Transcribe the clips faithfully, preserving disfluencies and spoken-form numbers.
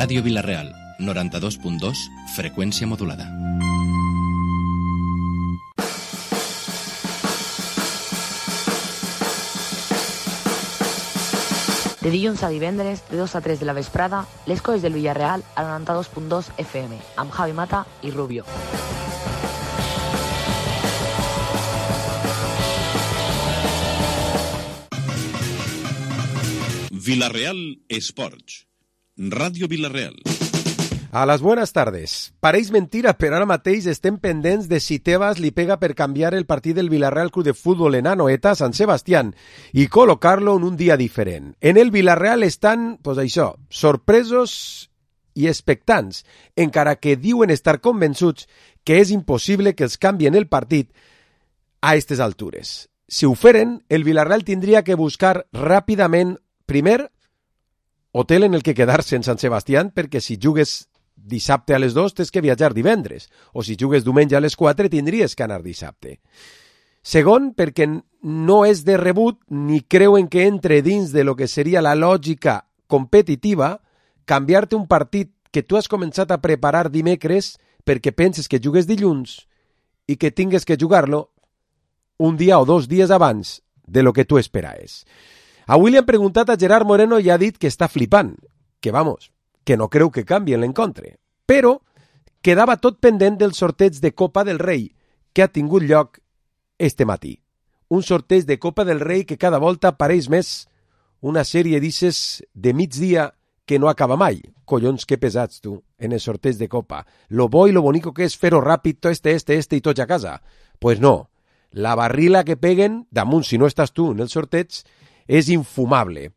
Ràdio Vila-real, noranta-dos punt dos, freqüència modulada. De dilluns a divendres, de dos a tres de la vesprada, les coses del Villarreal a noranta-dos punt dos F M, amb Javi Mata i Rubio. Vila-real Esports. Radio Vila-real. A las buenas tardes. Pareix mentira, però ara mateix estem pendents de si Tebas li pega per canviar el partit del Villarreal Club de Fútbol en Anoeta a Sant Sebastián i col·locar-lo en un dia diferent. En el Villarreal estan, pues això, sorpresos i expectants, encara que diuen estar convençuts que és impossible que els canvien el partit a aquestes altures. Si ho feren, el Villarreal tindria que buscar ràpidament, primer, hotel en el que quedar-se en Sant Sebastián, perquè si jugues dissabte a les dos tens que viatjar divendres, o si jugues diumenge a les quatre tindries que anar dissabte. Segon, perquè no és de rebut ni creuen que entre dins de lo que seria la lògica competitiva canviar-te un partit que tu has començat a preparar dimecres perquè penses que jugues dilluns i que tingues que jugar-lo un dia o dos dies abans de lo que tu esperaves. Avui li han preguntat a Gerard Moreno i ha dit que està flipant, que vamos, que no creu que canvi en l'encontre. Però quedava tot pendent del sorteig de Copa del Rei que ha tingut lloc este matí. Un sorteig de Copa del Rei que cada volta pareix més una sèrie d'isses de migdia que no acaba mai. Collons, que pesats tu, en el sorteig de Copa. Lo bo i lo bonico que és fer-ho ràpid, to este, este, este i tots a casa. Pues no, la barrila que peguen, damunt si no estàs tu en el sorteig, és infumable.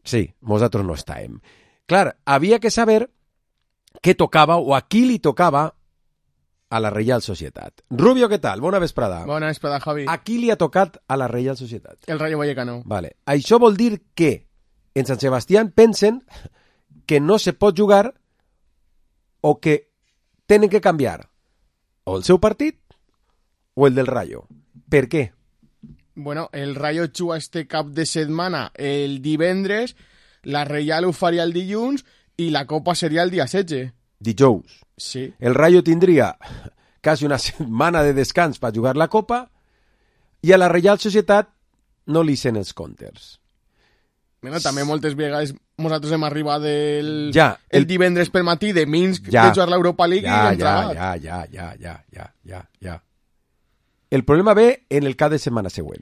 Sí, nosaltres no estàvem. Clar, havia que saber què tocava o a qui li tocava a la Reial Societat. Rubio, què tal? Bona vesprada. Bona vesprada, Javi. A qui li ha tocat a la Reial Societat? El Rayo Vallecano. Vale. Això vol dir que en Sant Sebastián pensen que no se pot jugar o que tenen que canviar o el seu partit o el del Rayo. Per què? Bueno, el Rayo juga este cap de setmana el divendres, la Reial ho faria el dilluns i la Copa seria el dia setze. Dijous. Sí. El Rayo tindria quasi una setmana de descans per jugar la Copa i a la Reial Societat no li sent els comptes. Bueno, també moltes vegades nosaltres hem arribat el, ja, el... el divendres per matí de Minsk ja, de jugar l'Europa League ja, i entrar. Ja, ja, ja, ja, ja, ja, ja. El problema ve en el cap de setmana següent.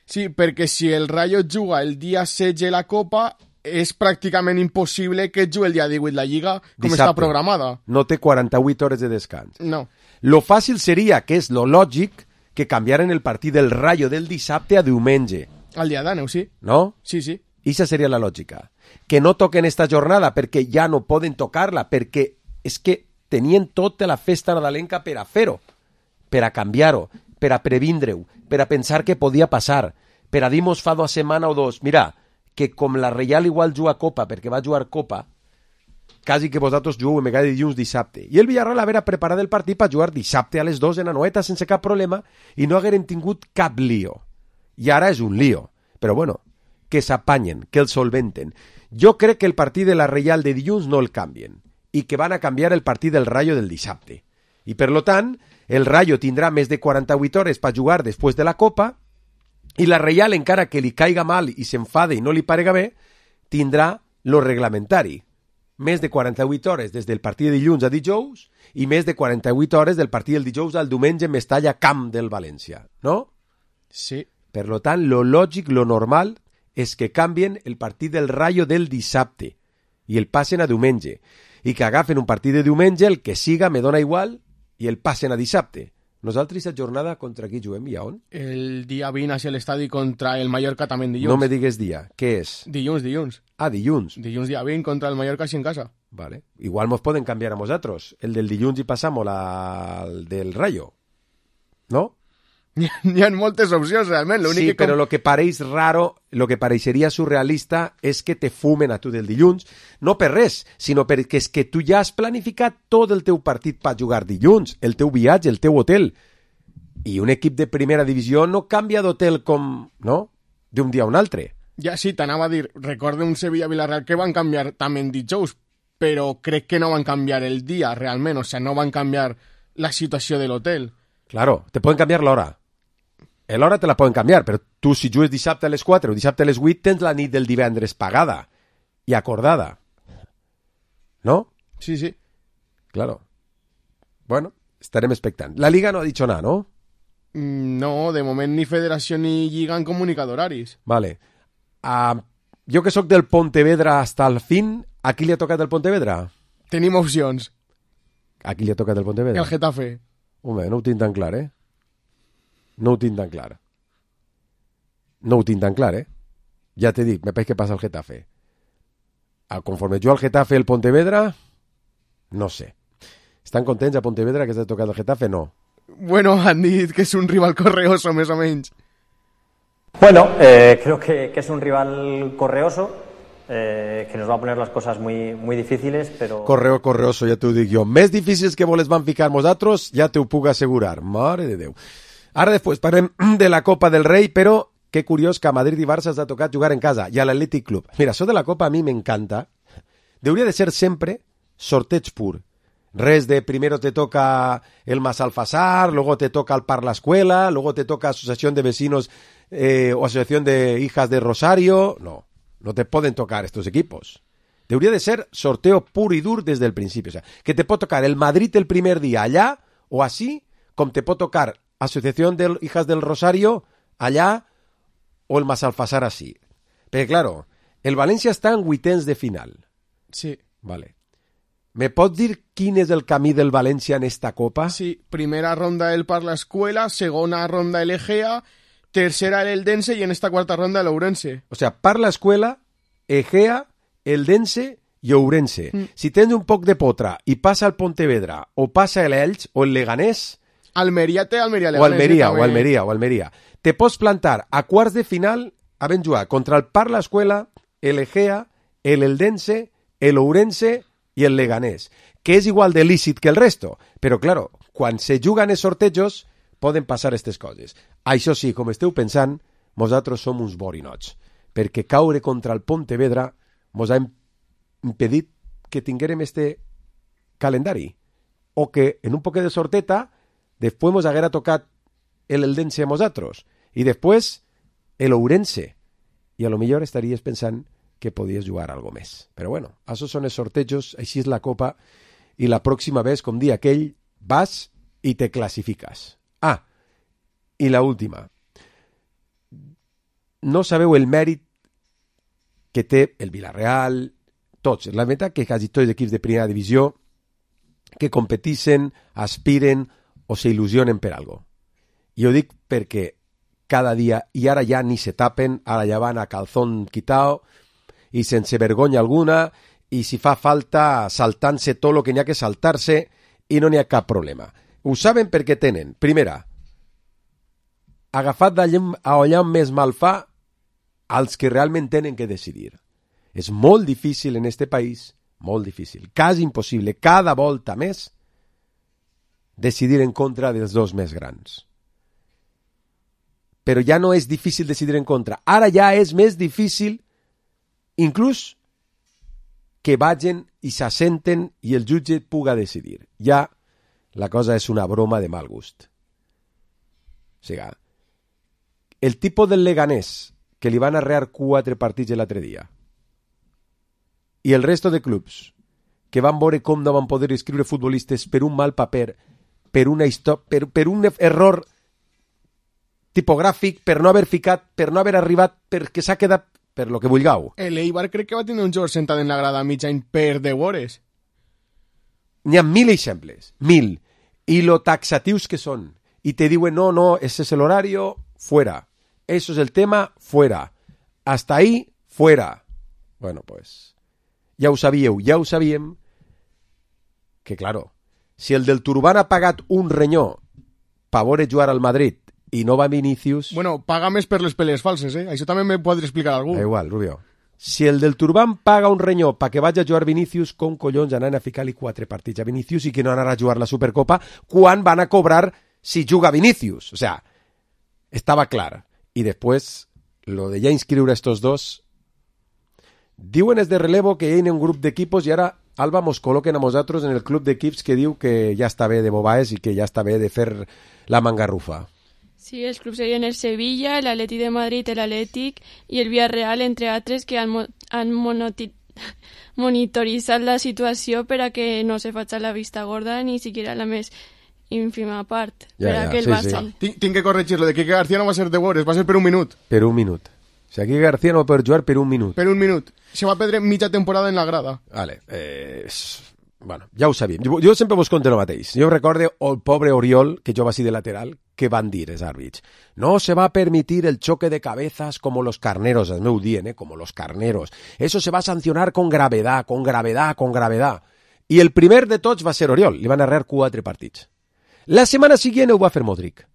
Sí, perquè si el Rayo juga el dia setze la Copa, és pràcticament impossible que jugui el dia divuit la Lliga, com Dissabte. està programada. No té quaranta-vuit hores de descans. No. Lo fàcil seria, que és lo lògic, que canviaren el partit del Rayo del dissabte a diumenge. Al dia d'aneu, sí. No? Sí, sí. Ixa seria la lògica. Que no toquen esta jornada perquè ja no poden tocar-la, perquè és que tenien tota la festa nadalenca per a fer-ho, per a canviar-ho, per a previndre-ho, per a pensar que podia passar, per a dir-nos fa dues setmana o dos, mira, que com la Reial igual juga Copa, perquè va jugar Copa, quasi que vosaltres jugueu en cada dilluns dissabte. I el Villarreal haver preparat el partit per jugar dissabte a les dos en Anoeta sense cap problema i no hagueren tingut cap lío. I ara és un lío. Però bueno, que s'apanyen, que el solventen. Jo crec que el partit de la Reial de dilluns no el canvien i que van a canviar el partit del Rayo del dissabte. I per lo tant, el Rayo tindrà més de quaranta-vuit hores per jugar després de la Copa i la Reial, encara que li caiga mal i s'enfade i no li parega bé, tindrà lo reglamentari. Més de quaranta-vuit hores des del partit de dilluns a dijous i més de quaranta-vuit hores del partit del dijous al diumenge en Mestalla Camp del València, no? Sí. Per lo tant, lo lògic, lo normal, és que canvien el partit del Rayo del dissabte i el passen a diumenge. I que agafen un partit de diumenge, el que siga, me dona igual, i el passen a dissabte. Nosaltres aquesta jornada contra qui juguem i a on? El dia vint hacia l'estadi contra el Mallorca també en dilluns. No me digues dia. Què és? Dilluns, dilluns. Ah, dilluns. Dilluns dia vint contra el Mallorca així en casa. Vale. Igual mos poden canviar a nosaltres. El del dilluns i passamos al del Rayo. ¿No? Hi ha moltes opcions, realment. Sí, que però com... lo que pareix raro, lo que pareixeria surrealista és que te fumen a tu del dilluns, no per res, sinó perquè és que tu ja has planificat tot el teu partit per jugar dilluns, el teu viatge, el teu hotel. I un equip de primera divisió no canvia d'hotel com, no?, d'un dia a un altre. Ja sí, t'anava a dir, recorde un Sevilla-Villarreal que van canviar també en dijous, però crec que no van canviar el dia, realment, o sigui, no van canviar la situació de l'hotel. Claro, te poden canviar l'hora. L'hora te la poden canviar, però tu si jugues dissabte a les quatre o dissabte a les vuit tens la nit del divendres pagada i acordada. ¿No? Sí, sí. Claro. Bueno, estarem expectant. La Liga no ha dicho nada, ¿no? No, de moment ni federació ni lliga han comunicat horaris. Vale. Uh, jo que sóc del Pontevedra hasta el fin, a qui li ha tocat el Pontevedra? Tenim opcions. A qui li ha tocat el Pontevedra? El Getafe. Home, no ho tinc tan clar, eh? No ho tinc tan clar. No ho tinc tan clar, eh? Ja t'he dit, me pareix que passa el Getafe. A conforme jo al Getafe el Pontevedra, no sé. Estan contents a Pontevedra que s'ha tocat el Getafe? No. Bueno, han dit que és un rival correoso, més o menys. Bueno, eh, creo que, que es un rival correoso, eh, que nos va a poner las cosas muy, muy difíciles, pero... Correo, correoso, ja t'ho dic jo. Més difícils que voles van ficar nosaltres, ja te ho puc assegurar. Mare de Déu. Ara després parlem de la Copa del Rei, però que curiós que a Madrid i Barça s'ha tocat jugar en casa, i a l'Atlètic Club. Mira, això de la Copa a mi m'encanta. Deuria de ser sempre sorteig pur. Res de primero te toca el Masalfasar, luego te toca el Par la Escuela, luego te toca Asociación de Vecinos eh, o Asociación de Hijas de Rosario. No, no te pueden tocar estos equipos. Debería de ser sorteo puro y duro desde el principio. O sea, que te puede tocar el Madrid el primer día allá o así, como te puede tocar Asociación de Hijas del Rosario allá o el Masalfasar así. Pero claro, el València està en vuitens de final. Sí. Vale. Me pots dir quin és el camí del València en esta Copa? Sí, primera ronda el Par la Escuela, segona ronda el Egea, tercera el Eldense y en esta cuarta ronda el Ourense. O sea, Par la Escuela, Egea, Eldense i Ourense. Mm. Si tens un poc de potra i passa el Pontevedra o passa el Elx o el Leganés... Almeria té Almeria Leganés. O Almeria, eh, o Almeria, o Almeria. Te pots plantar a quarts de final havent jugat contra el Par la Escuela, el Egea, el Eldense, el Ourense i el Leganés, que és igual de lícit que el resto. Però, claro, quan se juguen els sortejos, poden passar aquestes coses. Això sí, com esteu pensant, nosaltres som uns borinots, perquè caure contra el Pontevedra mos ha impedit que tinguérem este calendari, o que en un poquet de sorteta després mos haguera tocat el Eldense a nosaltres, i després el Ourense, i a lo millor estaries pensant que podies jugar algo més. Però bueno, això són els sortejos, així és la Copa, i la pròxima vez, com dia aquell, vas i te classifiques. Ah, i la última. No sabeu el mèrit que té el Villarreal, tots, la veritat que quasi tots els equips de primera divisió que competeixen, aspiren o s'il·lusionen per algo. I ho dic perquè cada dia, i ara ja ni se tapen, ara ja van a calzón quitao, i sense vergonya alguna, i si fa falta saltant-se tot el que n'hi ha que saltar-se i no n'hi ha cap problema. Ho saben perquè tenen, primera, agafat allà on més mal fa als que realment tenen que decidir. És molt difícil en este país, molt difícil, quasi impossible, cada volta més, decidir en contra dels dos més grans. Però ja no és difícil decidir en contra, ara ja és més difícil inclús que vagin i s'assenten i el jutge puga decidir. Ja la cosa és una broma de mal gust. O sigui, el tipus del Leganés que li van arrear quatre partits l'altre dia i el resto de clubs que van veure com no van poder escriure futbolistes per un mal paper, per, una histò- per, per un error tipogràfic, per no haver ficat, per no haver arribat, perquè s'ha quedat per lo que vulgueu. El Eibar crec que va tenir un jugador sentat en la grada mitja per de vores. N'hi ha mil exemples, mil. I lo taxatius que són. I te diuen, no, no, ese es el horario, fuera. Eso es el tema, fuera. Hasta ahí, fuera. Bueno, pues, ja ho sabíeu, ja ho sabíem, que, claro, si el del Turbán ha pagat un renyó per veure jugar al Madrid i no va Vinícius... Bueno, paga més per les peles falses, eh? Això també me podré explicar algú. Da igual, Rubio. Si el del Turbán paga un renyó perquè vagi a jugar Vinícius, com collons anaven a ficar-li quatre partits a Vinícius i que no anara a jugar la Supercopa quan van a cobrar si juga Vinícius? O sea, estava clar. I després, lo de ja inscriure estos dos... Diuen es de relevo que hi ha un grup d'equipos i ara Alba mos col·loquen a nosaltres en el club d'equips que diu que ja està bé de bobaes i que ja està bé de fer la mangarrufa. Sí, els clubs serien el Sevilla, l'Atlètic de Madrid, l'Atlètic i el Villarreal, entre altres, que han, mo han monoti monitoritzat la situació per a que no se faci la vista gorda ni siquiera la més ínfima part, ja, per a ja, que el sí, Barça... sí. Tinc, tinc que corregir-lo, de Quique García no va ser de Bores, va ser per un minut. Per un minut. O sigui, aquí García no va poder jugar per un minut. Per un minut. Se va perdre mitja temporada en la grada. Vale, eh, bueno, ja ho sabíem. Jo, jo sempre vos conto el mateix. Jo recordo el pobre Oriol, que jo va ser de lateral, que van dir els àrbits. No se va a permitir el choque de cabezas como los carneros, el meu dient, eh, como los carneros. Eso se va a sancionar con gravedad, con gravedad, con gravedad. I el primer de tots va ser Oriol, li van arrear quatre partits. La setmana següent ho va fer Modric.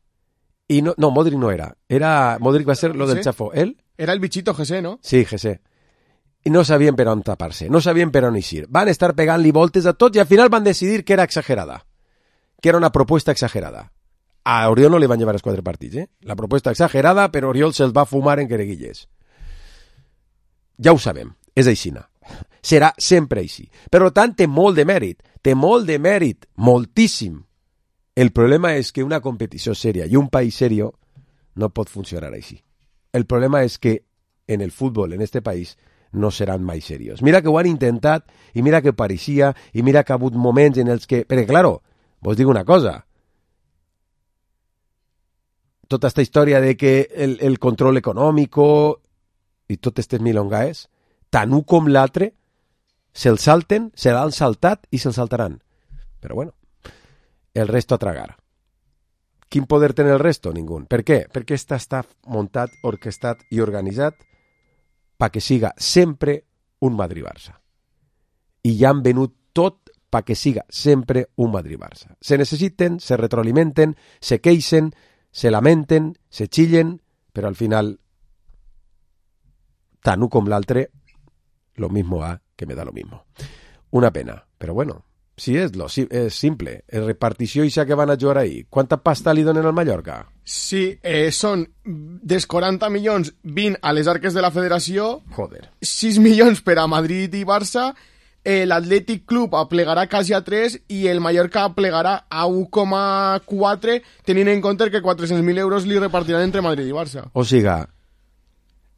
I no, no, Modric no era. era. Modric va ser lo del Chafó. ¿Él? Era el bichito José, ¿no? Sí, José. I no sabien per on tapar-se, no sabien per on eixir. Van estar pegant-li voltes a tots i al final van decidir que era exagerada, que era una propuesta exagerada. A Oriol no li van llevar els quatre partits, eh? La propuesta exagerada, però Oriol se'ls va fumar en quereguilles. Ja ho sabem, és aixina. Serà sempre així. Per tant, té molt de mèrit, té molt de mèrit, moltíssim. El problema és que una competició sèria i un país serio no pot funcionar així. El problema és que en el futbol, en este país, no seran mai serios. Mira que ho han intentat, i mira que pareixia, i mira que ha hagut moments en els que... Perquè, claro, vos dic una cosa. Tota esta història de que el, el control econòmic i totes aquestes milongaes, tant un com l'altre, se'l salten, se l'han saltat i se'l saltaran. Però bueno, el resto a tragar. Quin poder té el resto? Ningú. Per què? Perquè esta està muntat, orquestat i organitzat pa que siga sempre un Madrid-Barça. I ja han venut tot pa que siga sempre un Madrid-Barça. Se necessiten, se retroalimenten, se queixen, se lamenten, se chillen, però al final, tant un com l'altre, lo mismo ha que me da lo mismo. Una pena, però bueno, sí és, lo, sí, és simple. El repartició ixa que van a jugar ahí, quanta pasta li donen al Mallorca? Sí, eh, són dels quaranta milions, vint a les arques de la federació, Joder. sis milions per a Madrid i Barça, eh, l'Atlètic Club aplegarà quasi a tres i el Mallorca aplegarà a u coma quatre, tenint en compte que quatre-cents mil euros li repartiran entre Madrid i Barça. O siga,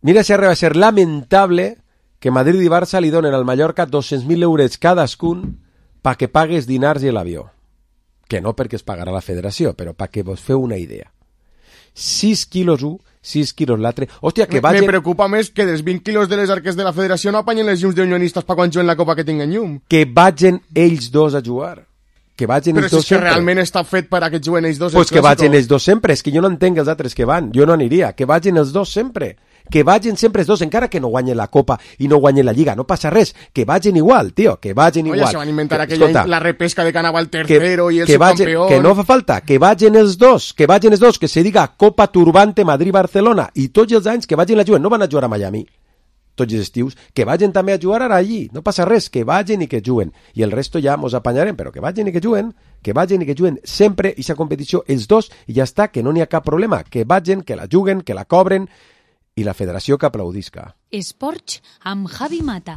mira si arriba a ser lamentable que Madrid i Barça li donen al Mallorca dos-cents mil euros cadascun pa que pagues dinars i l'avió. Que no perquè es pagarà la federació, però pa que vos feu una idea. sis quilos un, sis quilos l'altre. Hòstia, que vagin... Me preocupa més que dels vint quilos de les arques de la federació no apanyen les llums d'unionistes pa quan juguen la copa que tinguen llum. Que vagin ells dos a jugar. Que vagin Però ells si dos és que sempre. realment està fet per a que juguen ells dos. Pues que vagin ells dos sempre. És que jo no entenc els altres que van. Jo no aniria. Que vagin els dos sempre. Que vagin sempre els dos, encara que no guanyen la Copa i no guanyen la Lliga. No passa res. Que vagin igual, tio. Que vagin Oye, igual. se van a inventar que, aquella, escolta, la repesca de Canava el tercero que, y el que subcampeón. Vagin, que no fa falta. Que vagin els dos. Que vagin els dos. Que se diga Copa Turbante Madrid-Barcelona. I tots els anys que vagin a jugar. No van a jugar a Miami tots els estius, que vagin també a jugar ara allí, no passa res, que vagin i que juguen, i el resto ja mos apanyarem, però que vagin i que juguen, que vagin i que juguen sempre i aquesta competició els dos, i ja està, que no n'hi ha cap problema, que vagin, que la juguen, que la cobren, i la federació que aplaudisca. Esports amb Javi Mata.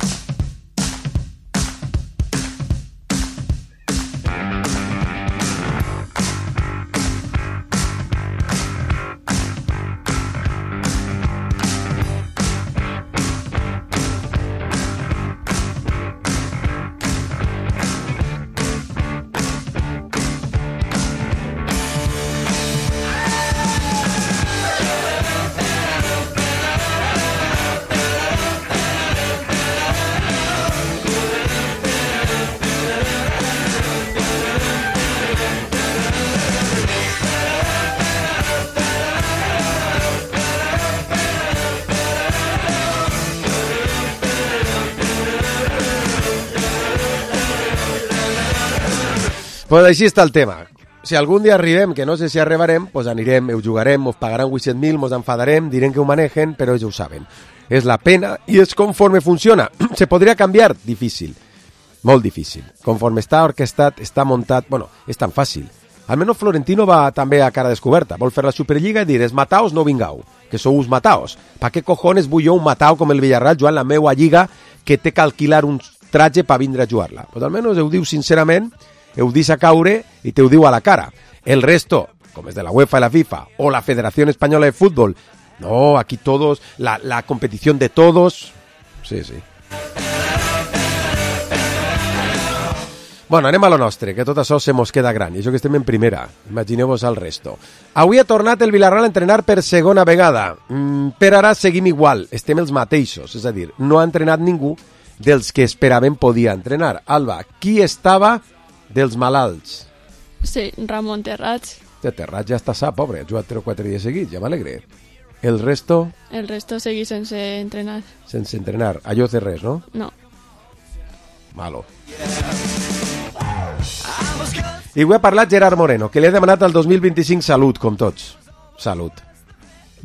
Pues així està el tema. Si algun dia arribem, que no sé si arribarem, pues anirem, ho jugarem, us pagaran vuit-cents mil, mos enfadarem, direm que ho manegen, però ja ho saben. És la pena i és conforme funciona. Se podria canviar? Difícil. Molt difícil. Conforme està orquestat, està muntat... Bueno, és tan fàcil. Almenys Florentino va també a cara descoberta. Vol fer la Superliga i dir, es mataos, no vingau, que sou mataos. Pa què cojones vull jo un matao com el Villarreal jugant la meua lliga que té que alquilar uns traje per vindre a jugar-la. Pues almenys ho diu sincerament, ho deixa caure i te ho diu a la cara. El resto, com és de la UEFA i la FIFA, o la Federación Española de Fútbol, no, aquí todos, la, la competición de todos... Sí, sí. Bueno, anem a lo nostre, que tot això se mos queda gran, i això que estem en primera. Imagineu-vos el resto. Avui ha tornat el Villarreal a entrenar per segona vegada. Mm, per ara seguim igual, estem els mateixos, és a dir, no ha entrenat ningú dels que esperaven podia entrenar. Alba, qui estava dels malalts? Sí, Ramon Terrats. De Terrats ja està sa, pobre, ha jugat tres o quatre dies seguits, ja m'alegre. El resto? El resto seguí sense entrenar. Sense entrenar, allò de res, no? No. Malo. I avui ha parlat Gerard Moreno, que li ha demanat al dos mil vint-i-cinc salut, com tots. Salut.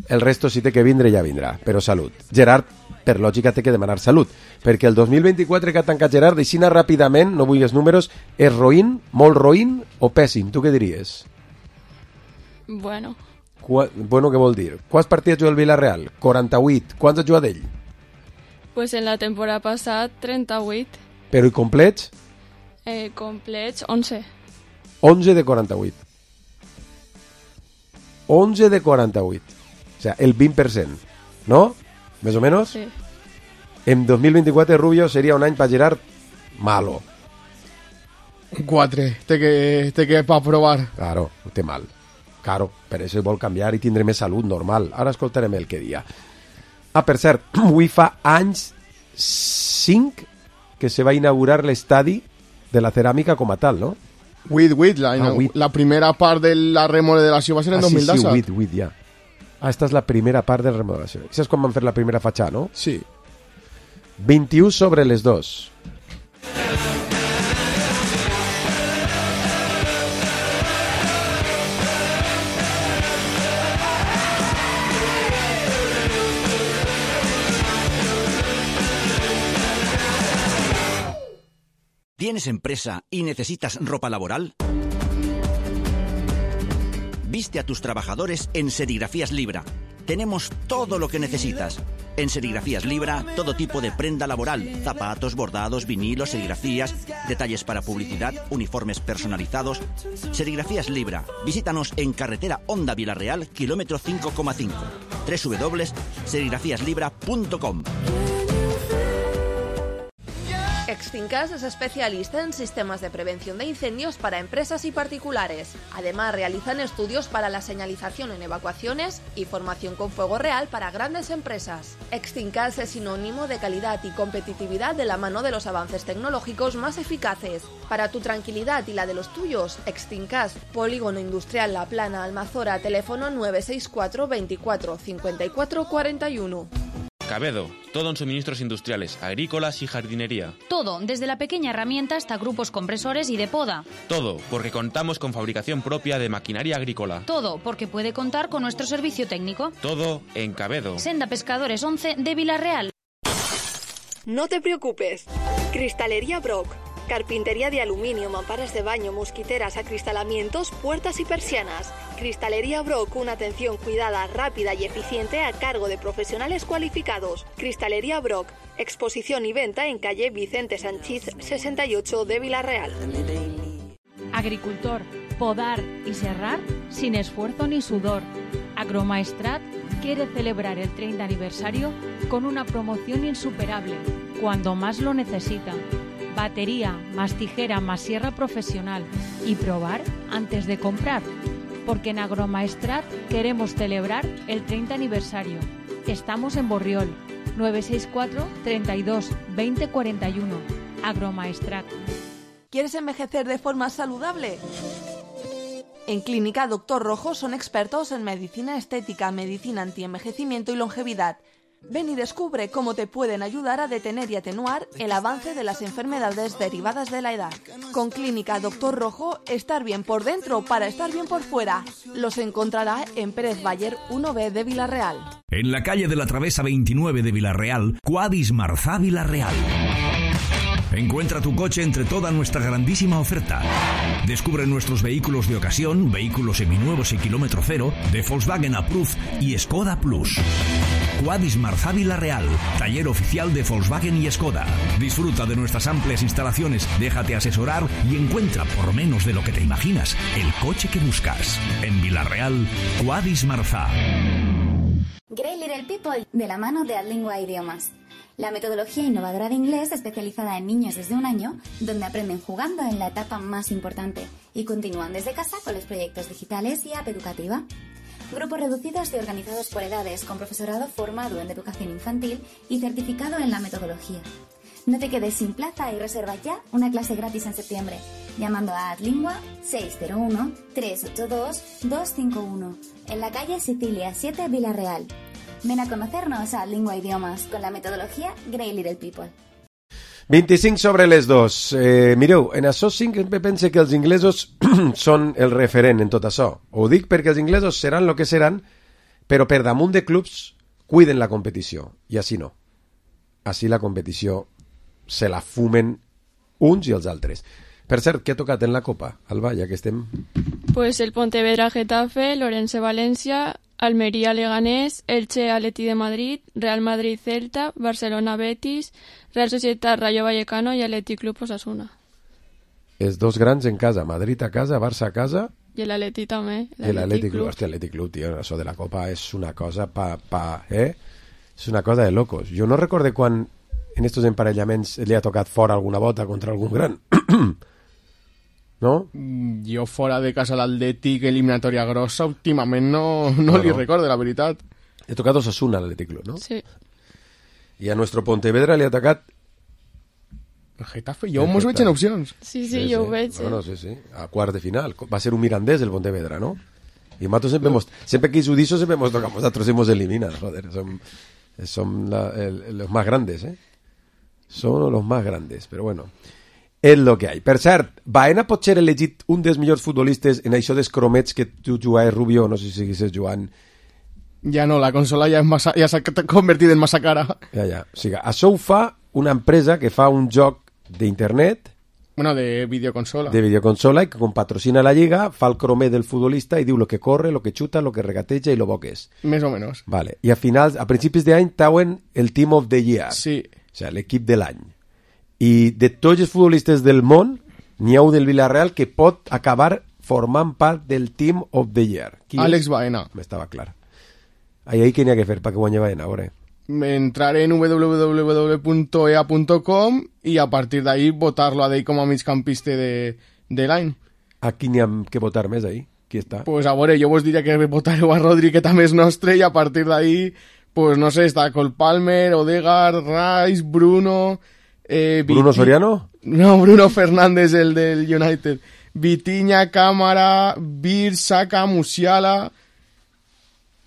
El resto si té que vindre ja vindrà, però salut. Gerard, per lògica, té que demanar salut, perquè el dos mil vint-i-quatre que ha tancat Gerard, deixina ràpidament, no vull els números, és roïn, molt roïn o pèssim? Tu què diries? Bueno. Qua... Bueno, què vol dir? Quants partits juga el Villarreal? quaranta-vuit. Quants ha jugat ell? Pues en la temporada passada, trenta-vuit. Però i complets? Eh, complets, onze. onze de quaranta-vuit. onze de quaranta-vuit. O sea, el vint per cent. ¿No? ¿Més o menos? Sí. En dos mil vint-i-quatre, Rubio, seria un any per Gerard malo. Un quatre. Té que, té que pa provar. Claro, té mal. Claro, per això vol canviar i tindre més salut normal. Ara escoltarem el que dia. Ah, per cert, avui fa anys cinc que se va inaugurar l'estadi de la ceràmica com a tal, no? With, with, la, ah, with. la primera part de la remodelació va ser en ah, dos mil disset. Sí, sí, with, with, ja. Ah, esta és la primera part de la remodelació. Això és quan van fer la primera fatxada, no? Sí. vint-i-u sobre les dos. ¿Tienes empresa y necesitas ropa laboral? Viste a tus trabajadores en Serigrafías Libra. Tenemos todo lo que necesitas. En Serigrafías Libra, todo tipo de prenda laboral, zapatos, bordados, vinilos, serigrafías, detalles para publicidad, uniformes personalizados. Serigrafías Libra. Visítanos en carretera Honda Villarreal, kilómetro cinco coma cinco. doble u doble u doble u punto serigrafías libra punto com. Extincas es especialista en sistemas de prevención de incendios para empresas y particulares. Además, realizan estudios para la señalización en evacuaciones y formación con fuego real para grandes empresas. Extincas es sinónimo de calidad y competitividad de la mano de los avances tecnológicos más eficaces. Para tu tranquilidad y la de los tuyos, Extincas, Polígono Industrial La Plana, Almazora, teléfono nueve seis cuatro veinticuatro cincuenta y cuatro cuarenta y uno. Cabedo, todo en suministros industriales, agrícolas y jardinería. Todo, desde la pequeña herramienta hasta grupos compresores y de poda. Todo, porque contamos con fabricación propia de maquinaria agrícola. Todo, porque puede contar con nuestro servicio técnico. Todo en Cabedo. Senda Pescadores once de Villarreal. No te preocupes. Cristalería Brock. Carpintería de aluminio, mamparas de baño, mosquiteras, acristalamientos, puertas y persianas. Cristalería Brock, una atención cuidada, rápida y eficiente a cargo de profesionales cualificados. Cristalería Brock, exposición y venta en calle Vicente Sanchís sesenta y ocho de Villarreal. Agricultor, podar y serrar sin esfuerzo ni sudor. Agromaestrat quiere celebrar el treinta aniversario con una promoción insuperable, cuando más lo necesita. Batería, más tijera, más sierra profesional y probar antes de comprar. Porque en Agromaestrat queremos celebrar el treinta aniversario. Estamos en Borriol, nueve seis cuatro, treinta y dos, veinte cuarenta y uno. Agromaestrat. ¿Quieres envejecer de forma saludable? En Clínica Doctor Rojo son expertos en medicina estética, medicina antienvejecimiento y longevidad. Ven y descubre cómo te pueden ayudar a detener y atenuar el avance de las enfermedades derivadas de la edad. Con Clínica Doctor Rojo, estar bien por dentro para estar bien por fuera. Los encontrará en Pérez Bayer uno B de Villarreal. En la calle de la Travesa veintinueve de Villarreal, Cuadis Marzá Villarreal. Encuentra tu coche entre toda nuestra grandísima oferta. Descubre nuestros vehículos de ocasión, vehículos seminuevos y kilómetro cero, de Volkswagen Approved y Skoda Plus. Quadis Marzá Vila-real, taller oficial de Volkswagen y Skoda. Disfruta de nuestras amplias instalaciones, déjate asesorar y encuentra, por menos de lo que te imaginas, el coche que buscas. En Vila-real, Quadis Marzá. Great Little People, de la mano de Adlingua Idiomas. La metodología innovadora de inglés especializada en niños desde un año, donde aprenden jugando en la etapa más importante y continúan desde casa con los proyectos digitales y app educativa. Grupos reducidos y organizados por edades, con profesorado formado en educación infantil y certificado en la metodología. No te quedes sin plaza y reserva ya una clase gratis en septiembre, llamando a Adlingua seis cero uno, tres ocho dos, dos cinco uno, en la calle Sicilia siete, Vila-real. Ven a conocernos a Adlingua Idiomas con la metodología Great Little People. vint-i-cinc sobre les dos. Eh, mireu, en això cinc pense que els inglesos són el referent en tot això. Ho dic perquè els inglesos seran el que seran, però per damunt de clubs cuiden la competició. I així no. Així la competició se la fumen uns i els altres. Per cert, què ha tocat en la Copa, Alba, ja que estem? Pues el Pontevedra Getafe, Lorense Valencia, Almería Leganés, Elche Atleti de Madrid, Real Madrid Celta, Barcelona Betis, Real Societat Rayo Vallecano i Atleti Club Osasuna. Els dos grans en casa, Madrid a casa, Barça a casa... I l'Atleti també. L'Atleti Club, hòstia, l'Atleti Club, tio, això de la Copa és una cosa pa, pa, eh? És una cosa de locos. Jo no recorde quan en estos emparellaments li ha tocat fora alguna bota contra algun gran. No? Jo fora de casa l'Atlètic, eliminatòria grossa, últimament no, no, no li no. recordo, la veritat. He tocat Osasuna a l'Atlètic Club, no? Sí. I a nuestro Pontevedra li ha tocat... El Getafe, jo mos veig en opcions. Sí, sí, sí jo sí. ho veig. Sí. Bueno, sí, sí, a quart de final. Va ser un mirandés el Pontevedra, ¿no? Y mato siempre hemos, siempre que hizo diso siempre hemos tocado, nosotros hemos eliminado, joder, son, son la, el, los más grandes, ¿eh? Son los más grandes, però bueno, és lo que hay. Per cert, Baena pot ser elegit un dels millors futbolistes en això dels cromets que tu jugaves, Rubio, no sé si seguisses jugant. Ja no, la consola ja, massa, ja s'ha convertit en massa cara. Ja, ja. O sigui, això ho fa una empresa que fa un joc d'internet, bueno, de videoconsola. De videoconsola, i que com patrocina la lliga, fa el cromet del futbolista i diu lo que corre, lo que xuta, lo que regateja i lo bo que és. Més o menys. Vale. I a finals, a principis d'any, tauen el Team of the Year. Sí. O sigui, l'equip de l'any. I de tots els futbolistes del món, n'hi ha un del Villarreal que pot acabar formant part del Team of the Year. Qui Àlex és? Baena. M'estava clar. Ahí, ahí què n'hi ha que fer perquè guanyi Baena, a veure. Entrar en w w w punto e a punto com i a partir d'ahí votar-lo a d'ell com a migcampista de, de l'any. A qui n'hi ha que votar més ahí? Qui està? Pues a veure, jo vos diria que votareu a Rodri, que també és nostre, i a partir d'ahí, pues no sé, està Cole Palmer, Odegaard, Rice, Bruno... Eh, ¿Bruno Viti... Soriano? No, Bruno Fernández, el del United. Vitinha, Cámara, Bir, Saka, Musiala...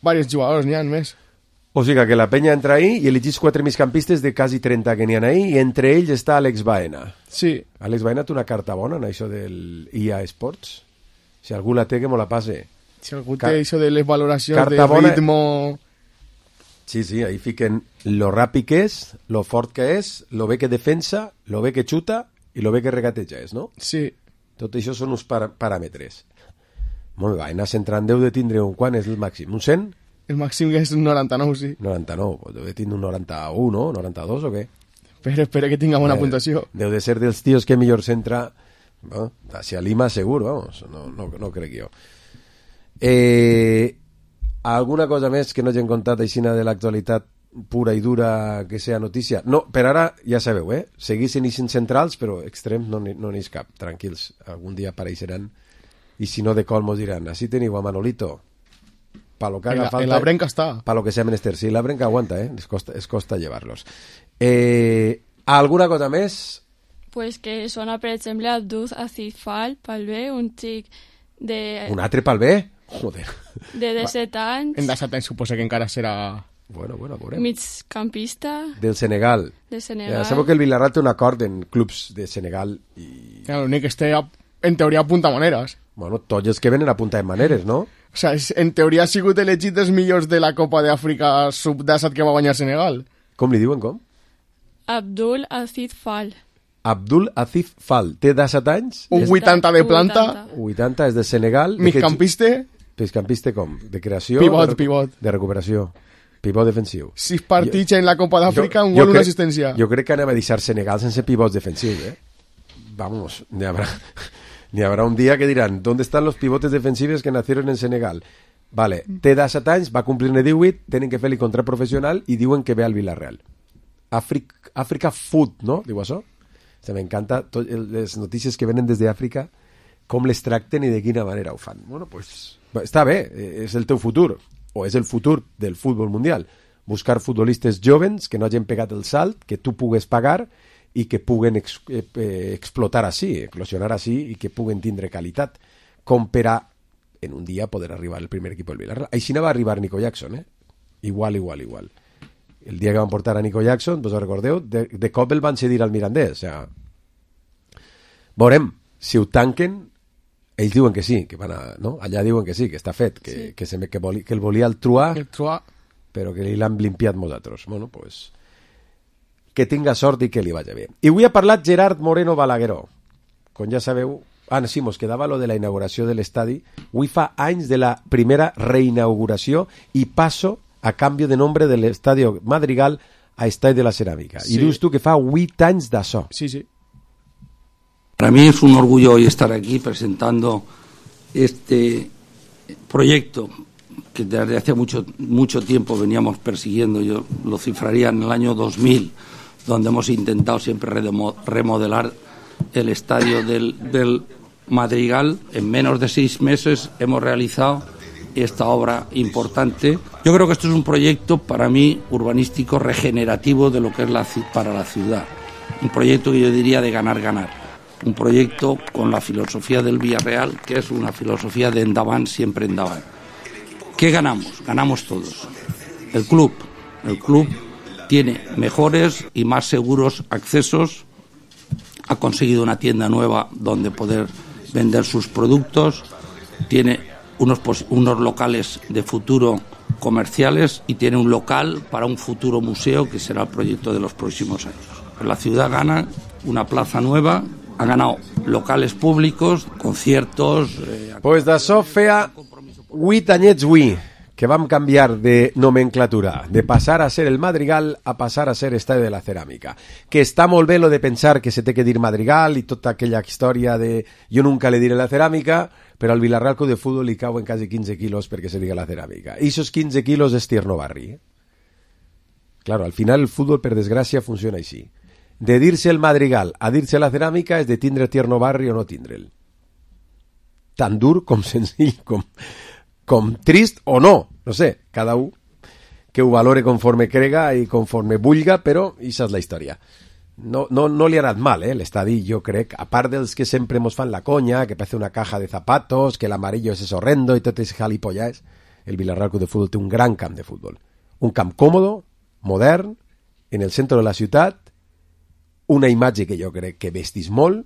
Varios jugadors n'hi ha més. O sigui que la penya entra ahí i elegís quatre migcampistes de quasi trenta que n'hi ha ahí i entre ells està Àlex Baena. Sí. Àlex Baena té una carta bona en això del I A Sports. Si algú la té, que me la passe. Si algú Car... té això de les valoracions carta de bona... ritmo... Sí, sí, ahí fiquen lo ràpid que és, lo fort que és, lo bé que defensa, lo bé que xuta i lo bé que regateja és, no? Sí. Tot això són uns par paràmetres. Molt bé, Baena centrant deu de tindre un... Quan és el màxim? Un cent? El màxim és un noranta-nou, sí. noranta-nou, deu de tindre un noranta-u, no? noranta-dos o què? Espera, espera que tinga bona eh, puntuació. Deu de ser dels tios que millor centra... No? Hacia Lima segur, vamos, no, no, no crec jo. Eh, alguna cosa més que no hagin contat aixina de l'actualitat pura i dura que sea notícia? No, per ara ja sabeu, eh? Seguissin ixen centrals, però extrems no n'hi no cap, tranquils, algun dia apareixeran i si no de col mos diran, així teniu a Manolito. Pa lo que haga la, falta, la brenca está. Para lo que sea menester. Sí, la brenca aguanta, ¿eh? Es costa, es costa llevarlos. Eh, ¿Alguna cosa més? Pues que sona, per exemple, Abdul Aziz Fall, pel B, un xic de... Un altre pel B? Joder. De disset anys. En disset anys suposa que encara serà... Bueno, bueno, veurem. Migcampista. Del Senegal. De Senegal. Ja sabeu que el Villarreal té un acord en clubs de Senegal i... Ja, l'únic que este, en teoria, apunta maneres. Bueno, tots els que venen apunten maneres, no? O sea, en teoria ha sigut elegit dels millors de la Copa d'Àfrica sub disset que va guanyar Senegal. Com li diuen, com? Abdul Aziz Fall. Abdul Aziz Fall. Té disset anys? Un vuitanta de planta. vuitanta, és de Senegal. Migcampista. Migcampista com? De creació? Pivot, de, pivot. De recuperació. pivot defensiu. Sis partits jo, en la Copa d'Àfrica, un gol, una assistència. Jo crec que anem a deixar Senegal sense pivots defensius, eh? Vamos, n'hi habrá, n'hi habrá un dia que diran ¿dónde están los pivotes defensivos que nacieron en Senegal? Vale, té disset anys, va complir-ne divuit, tenen que fer-li contrat professional i diuen que ve al Villarreal. Àfrica, Àfrica Food, no? Diu això? Se m'encanta tot, les notícies que venen des d'Àfrica, com les tracten i de quina manera ho fan. Bueno, pues, està bé, és el teu futur, o és el futur del futbol mundial. Buscar futbolistes jovens que no hagin pegat el salt, que tu pugues pagar i que puguen ex, eh, explotar així, eclosionar així i que puguen tindre qualitat, com per a en un dia poder arribar al primer equip del Villarreal. Així no va arribar Nico Jackson, eh? Igual, igual, igual. El dia que van portar a Nico Jackson, vos ho recordeu, de, de cop el van cedir al Mirandés. O sea, veurem, si ho tanquen, ells diuen que sí, que van a, no? Allà diuen que sí, que està fet, que, sí. que, se me, que, voli, que el volia el Truà, el Truà, però que l'han limpiat molts altres. Bueno, pues, que tinga sort i que li vagi bé. I avui ha parlat Gerard Moreno Balagueró. Com ja sabeu, ah, sí, mos quedava lo de la inauguració de l'estadi. Avui fa anys de la primera reinauguració i passo a canvi de nombre de l'estadi Madrigal a Estadi de la Ceràmica. Sí. I dius tu que fa vuit anys d'això. Sí, sí. Para mí es un orgullo hoy estar aquí presentando este proyecto que desde hace mucho, mucho tiempo veníamos persiguiendo. Yo lo cifraría en el año dos mil, donde hemos intentado siempre remodelar el estadio del, del Madrigal. En menos de seis meses hemos realizado esta obra importante. Yo creo que esto es un proyecto para mí urbanístico regenerativo de lo que es la, para la ciudad. Un proyecto que yo diría de ganar-ganar. Un proyecto con la filosofía del Villarreal, que es una filosofía de endavant, siempre endavant. ¿Qué ganamos? Ganamos todos. El club. El club tiene mejores y más seguros accesos. Ha conseguido una tienda nueva donde poder vender sus productos. Tiene unos, unos locales de futuro comerciales y tiene un local para un futuro museo que será el proyecto de los próximos años. La ciudad gana una plaza nueva, ha ganado locales públicos, conciertos... Eh... Pues d'això feia vuit anyets avui que vam canviar de nomenclatura, de passar a ser el Madrigal a passar a ser Estadi de la Ceràmica. Que està molt bé lo de pensar que se té que dir Madrigal i tota aquella història de jo nunca le diré la Ceràmica, però al Villarreal Club de Futbol li cauen quasi quinze quilos perquè se diga la Ceràmica. I esos quinze quilos és Tierno Barri. Eh? Claro, al final el futbol, per desgràcia, funciona així. De dir-se el Madrigal a dir-se la Ceràmica és de tindre Tierno Barri o no tindre'l. Tan dur com senzill, com, com trist o no. No sé, cada un que ho valore conforme crega i conforme vulga, però això és la història. No, no, no li ha anat mal, eh, l'estadi, jo crec, a part dels que sempre mos fan la conya, que parece una caja de zapatos, que l'amarillo és horrendo i tot és jalipollas, el Villarreal Club de Futbol té un gran camp de futbol. Un camp còmodo, modern, en el centre de la ciutat, una imatge que jo crec que vestis molt,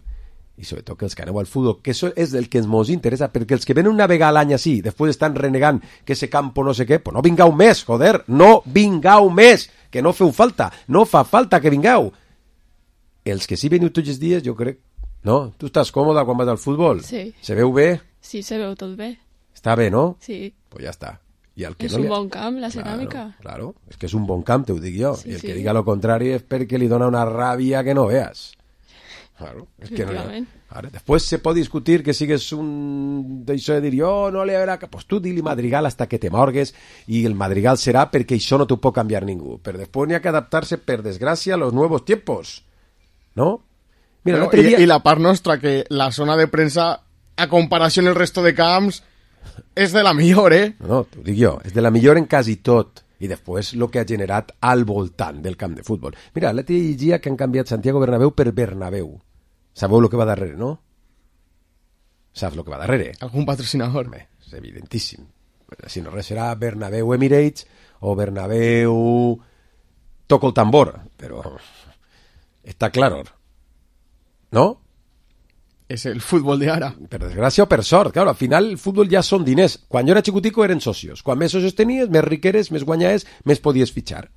i sobretot que els que aneu al futbol, que això és el que ens interessa, perquè els que venen una vegada a l'any així, després estan renegant que ese campo no sé què, pues no vingau més, joder, no vingau més, que no feu falta, no fa falta que vingau. Els que sí veniu tots els dies, jo crec, no? Tu estàs còmoda quan vas al futbol? Sí. Se veu bé? Sí, se veu tot bé. Està bé, no? Sí. Pues ja està. I el que és no un li... bon camp, la ceràmica. Claro, claro, és que és un bon camp, te ho dic jo. Sí, I el sí. que diga lo contrari és perquè li dona una ràbia que no veas. Claro, és que no... Ara, després se pot discutir que sigues un... d'això de dir, oh, no li haurà... Pues tu di-li Madrigal hasta que te morgues i el Madrigal serà perquè això no t'ho pot canviar ningú. Però després n'hi ha que adaptar-se, per desgràcia, a los nuevos tiempos. ¿No? Mira, Pero, l'altre dia... y, y la part nostra, que la zona de prensa, a comparació amb el resto de camps, és de la millor, eh? No, no, t'ho dic jo, és de la millor en quasi tot. I després el que ha generat al voltant del camp de futbol. Mira, l'altre dia llegia que han canviat Santiago Bernabéu per Bernabéu. Sabeu el que va darrere, no? Saps el que va darrere? Algun patrocinador. Bé, és evidentíssim. Si no res serà Bernabéu Emirates o Bernabéu Toco el tambor, però està clar, no? És el futbol de ara. Per desgràcia o per sort, claro, al final el futbol ja són diners. Quan jo era xicutico eren socios. Quan més socios tenies, més riqueres, més guanyaes, més podies fitxar.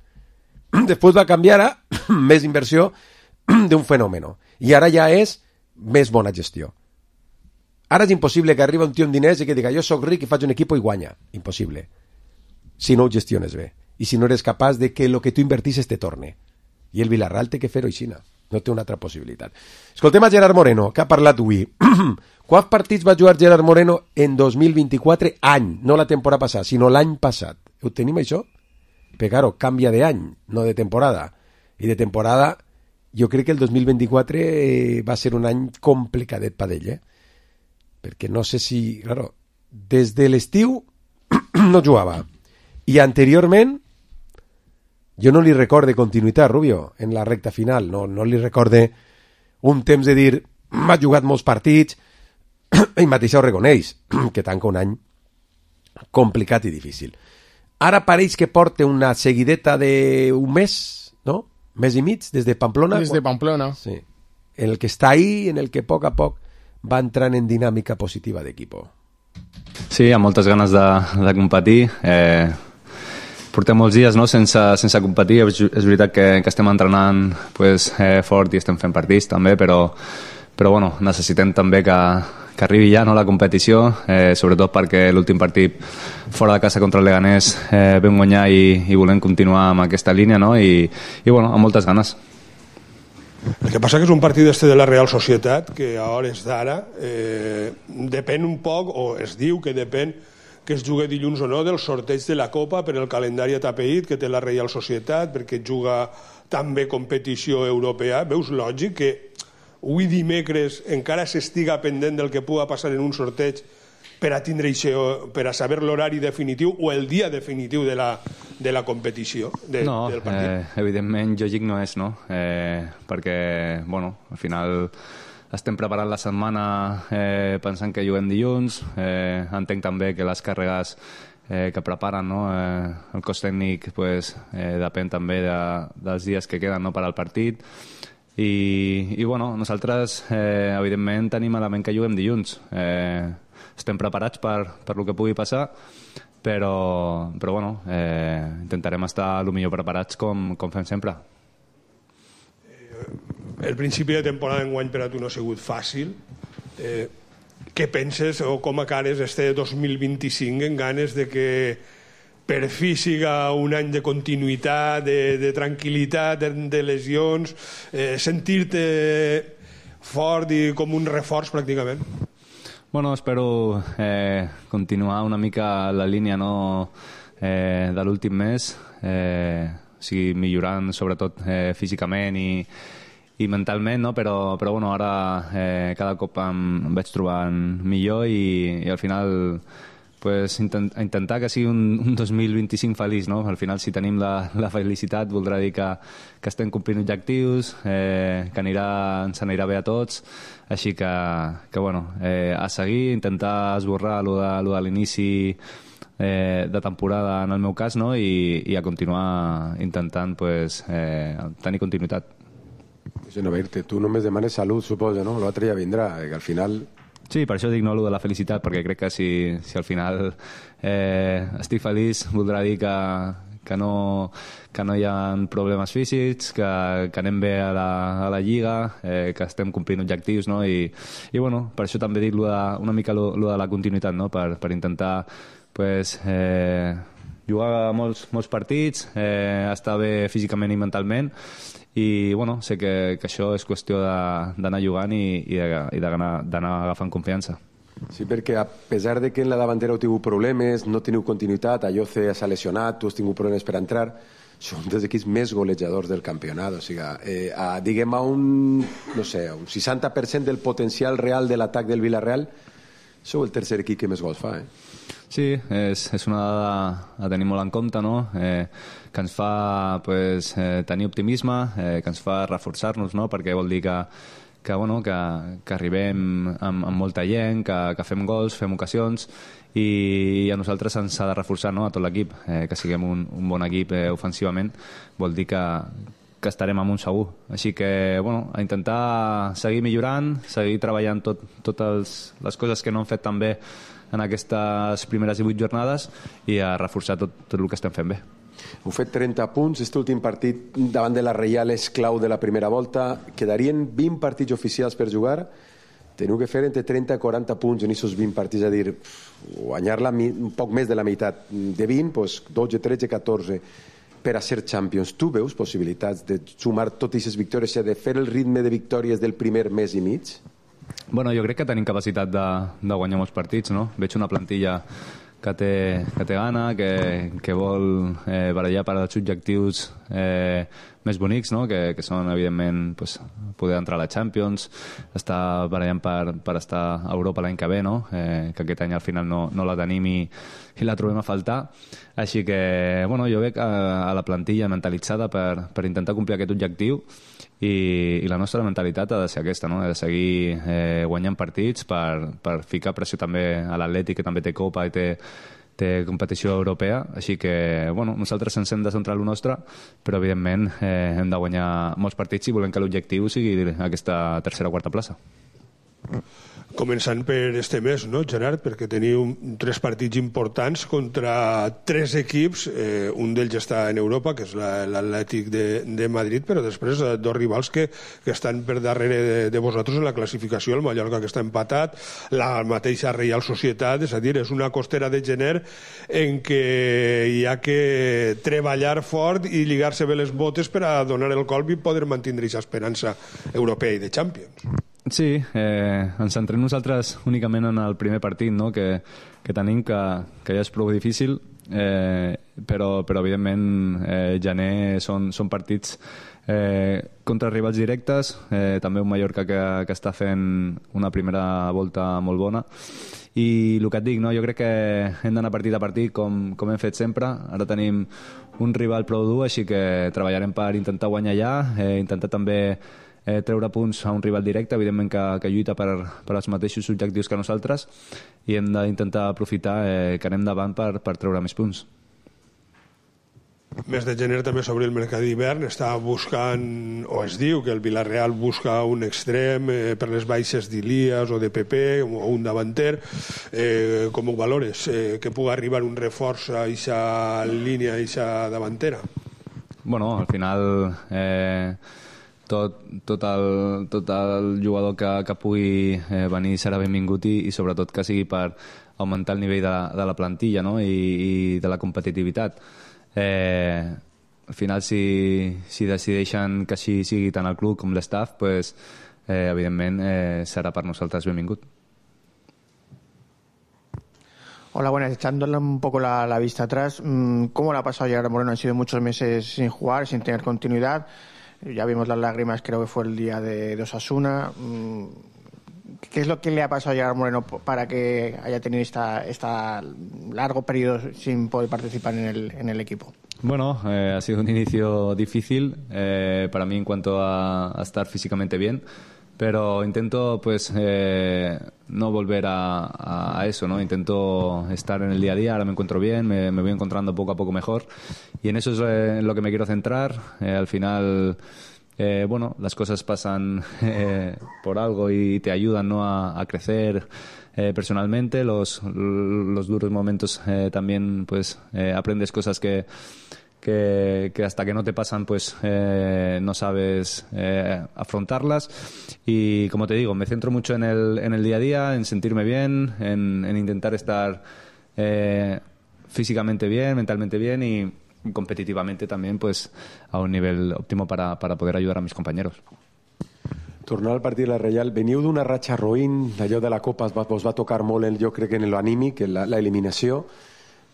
Després va canviar a més inversió d'un fenòmeno. I ara ja és més bona gestió. Ara és impossible que arribi un tio amb diners i que diga jo soc ric i faig un equip i guanya. Impossible. Si no ho gestiones bé. y si no eres capaz de que lo que tú invertises te torne. I el Villarreal té que fer-ho aixina. No té una altra possibilitat. Escoltem a Gerard Moreno, que ha parlat avui. Quants partits va jugar Gerard Moreno en dos mil vint-i-quatre any? No la temporada passada, sinó l'any passat. Ho tenim, això? Però, claro, canvia d'any, no de temporada. I de temporada, jo crec que el dos mil vint-i-quatre eh, va ser un any complicadet per ell, eh? Perquè no sé si... Claro, des de l'estiu no jugava. I anteriorment, jo no li recorde continuïtat, Rubio, en la recta final. No, no li recorde un temps de dir m'ha jugat molts partits, ell mateix ho reconeix, que tanca un any complicat i difícil. Ara pareix que porta una seguideta d'un mes, no? Mes i mig, des de Pamplona. Des de Pamplona. Sí. En el que està ahí, en el que a poc a poc va entrant en dinàmica positiva d'equip. Sí, amb moltes ganes de, de competir. Eh, portem molts dies, no?, sense, sense competir. És, és veritat que, que estem entrenant pues, eh, fort i estem fent partits també, però, però bueno, necessitem també que, que arribi ja, no, la competició, eh, sobretot perquè l'últim partit fora de casa contra el Leganés eh, vam guanyar i, i volem continuar amb aquesta línia, no?, i, i bueno, amb moltes ganes. El que passa que és un partit este de la Real Societat que a hores d'ara eh, depèn un poc, o es diu que depèn que es jugui dilluns o no del sorteig de la Copa per el calendari atapeït que té la Real Societat, perquè juga també competició europea. Veus lògic que avui dimecres encara s'estiga pendent del que pugui passar en un sorteig per a tindre això, per a saber l'horari definitiu o el dia definitiu de la, de la competició de, no, del partit? Eh, evidentment lògic no és, no? Eh, perquè, bueno, al final estem preparant la setmana eh, pensant que juguem dilluns, eh, entenc també que les càrregues eh, que preparen, no? eh, el cos tècnic pues, eh, depèn també de, dels dies que queden, no?, per al partit. I, i bueno, nosaltres eh, evidentment tenim a la ment que juguem dilluns. Eh, estem preparats per, per el que pugui passar, però, però bueno, eh, intentarem estar el millor preparats com, com fem sempre. El principi de temporada enguany per a tu no ha sigut fàcil. Eh, què penses o com acares este dos mil vint-i-cinc en ganes de que per fi siga un any de continuïtat, de, de tranquil·litat, de, de lesions, eh, sentir-te fort i com un reforç pràcticament? Bueno, espero eh, continuar una mica la línia, no, eh, de l'últim mes, eh, o sigui, millorant sobretot eh, físicament i, i mentalment, no? però, però bueno, ara eh, cada cop em, em vaig trobant millor i, i al final pues, intent, intentar que sigui un, un dos mil vint-i-cinc feliç, no? Al final si tenim la, la felicitat voldrà dir que, que estem complint objectius, eh, que anirà, ens anirà bé a tots, així que, que bueno, eh, a seguir, intentar esborrar lo de, lo de l'inici eh, de temporada en el meu cas, no? I, i a continuar intentant pues, eh, tenir continuïtat. Sí, no, Berte, tu només demanes salut, suposo, no? L'altre ja vindrà, que al final... Sí, per això dic no allò de la felicitat, perquè crec que si, si al final eh, estic feliç voldrà dir que, que, no, que no hi ha problemes físics, que, que anem bé a la, a la Lliga, eh, que estem complint objectius, no? I, i bueno, per això també dic lo de, una mica lo, lo de la continuïtat, no? Per, per intentar pues, eh, jugar molts, molts partits, eh, estar bé físicament i mentalment, i bueno, sé que, que això és qüestió d'anar jugant i, i d'anar agafant confiança. Sí, perquè a pesar de que en la davantera heu tingut problemes, no teniu continuïtat, Ayoce s'ha lesionat, tu has tingut problemes per entrar, són dels equips més golejadors del campionat, o sigui, eh, a, diguem a un, no sé, un seixanta per cent del potencial real de l'atac del Villarreal, sou el tercer equip que més gols fa, eh? Sí, és, és una dada a tenir molt en compte, no? Eh, que ens fa pues, eh, tenir optimisme, eh, que ens fa reforçar-nos, no? Perquè vol dir que, que, bueno, que, que arribem amb, amb molta gent, que, que fem gols, fem ocasions, i a nosaltres ens ha de reforçar, no? A tot l'equip, eh, que siguem un, un bon equip eh, ofensivament, vol dir que, que estarem amb un segur. Així que, bueno, a intentar seguir millorant, seguir treballant tot, totes les coses que no hem fet tan bé en aquestes primeres divuit jornades i a reforçar tot, tot el que estem fent bé. Heu fet trenta punts, aquest últim partit davant de la Reial és clau de la primera volta, quedarien vint partits oficials per jugar teniu que fer entre trenta i quaranta punts en aquests vint partits, és a dir, guanyar-la un poc més de la meitat, de vint, doncs dotze, tretze, catorze, per a ser Champions. Tu veus possibilitats de sumar totes aquestes victòries, de fer el ritme de victòries del primer mes i mig? Bueno, jo crec que tenim capacitat de, de guanyar molts partits, no? Veig una plantilla que té, que té gana, que, que vol eh, barallar per als objectius eh, més bonics, no? que, que són, evidentment, pues, poder entrar a la Champions, estar barallant per, per estar a Europa l'any que ve, no? eh, que aquest any al final no, no la tenim i, i la trobem a faltar. Així que, bueno, jo veig a, a la plantilla mentalitzada per, per intentar complir aquest objectiu i, i la nostra mentalitat ha de ser aquesta, no? Ha de seguir eh, guanyant partits per, per ficar pressió també a l'Atlètic, que també té Copa i té, té competició europea, així que bueno, nosaltres ens hem de centrar en el nostre, però evidentment eh, hem de guanyar molts partits i volem que l'objectiu sigui aquesta tercera o quarta plaça. Començant per este mes, no, Gerard? Perquè teniu tres partits importants contra tres equips, eh, un d'ells està en Europa, que és l'Atlètic de, de Madrid, però després eh, dos rivals que, que estan per darrere de, de vosaltres en la classificació, el Mallorca, que està empatat, la mateixa Reial Societat, és a dir, és una costera de gener en què hi ha que treballar fort i lligar-se bé les botes per a donar el colp i poder mantenir aquesta esperança europea i de Champions. Sí, eh, ens centrem nosaltres únicament en el primer partit, no? que, que tenim, que, que ja és prou difícil, eh, però, però evidentment eh, gener són, són partits eh, contra rivals directes, eh, també un Mallorca que, que està fent una primera volta molt bona, i el que et dic, no? Jo crec que hem d'anar partit a partit com, com hem fet sempre. Ara tenim un rival prou dur, així que treballarem per intentar guanyar allà, eh, intentar també Eh, treure punts a un rival directe, evidentment que, que lluita per, per als mateixos objectius que nosaltres, i hem d'intentar aprofitar eh, que anem davant per, per treure més punts. Mes de gener també s'obre el mercat d'hivern, està buscant, o es diu que el Villarreal busca un extrem eh, per les baixes d'Ilias o de Pepe, o un davanter. Eh, com ho valores? Eh, que pugui arribar un reforç a aquesta línia, a aquesta davantera? Bueno, al final eh, tot, tot, el, tot el jugador que, que pugui eh, venir serà benvingut i, i sobretot que sigui per augmentar el nivell de, de la plantilla, no? I, i de la competitivitat. Eh, al final, si, si decideixen que així sigui tant el club com l'estaff, pues, eh, evidentment eh, serà per nosaltres benvingut. Hola, buenas. Echándole un poco la, la vista atrás, ¿cómo le ha pasado a Gerard Moreno? Han sido muchos meses sin jugar, sin tener continuidad. Ya vimos las lágrimas, creo que fue el día de, de Osasuna. ¿Qué es lo que le ha pasado a Gerard Moreno para que haya tenido esta, esta largo periodo sin poder participar en el, en el equipo? Bueno, eh, ha sido un inicio difícil eh, para mí en cuanto a, a estar físicamente bien, pero intento pues eh, no volver a, a, a eso, ¿no? Intento estar en el día a día. Ahora me encuentro bien, me, me voy encontrando poco a poco mejor y en eso es eh, en lo que me quiero centrar. Eh, al final, eh, bueno, las cosas pasan eh, por algo y te ayudan, ¿no? a, a crecer eh, personalmente. Los, los duros momentos eh, también pues eh, aprendes cosas que Que, que hasta que no te pasan pues eh, no sabes eh, afrontarlas, y como te digo, me centro mucho en el, en el día a día, en sentirme bien, en, en intentar estar eh, físicamente bien, mentalmente bien y competitivamente también pues a un nivel óptimo para, para poder ayudar a mis compañeros. Tornar al partit de la Reial, veniu d'una ratxa roïn, allò de la Copa us va, us va tocar molt, el, jo crec que en l'anímic, la, la eliminació.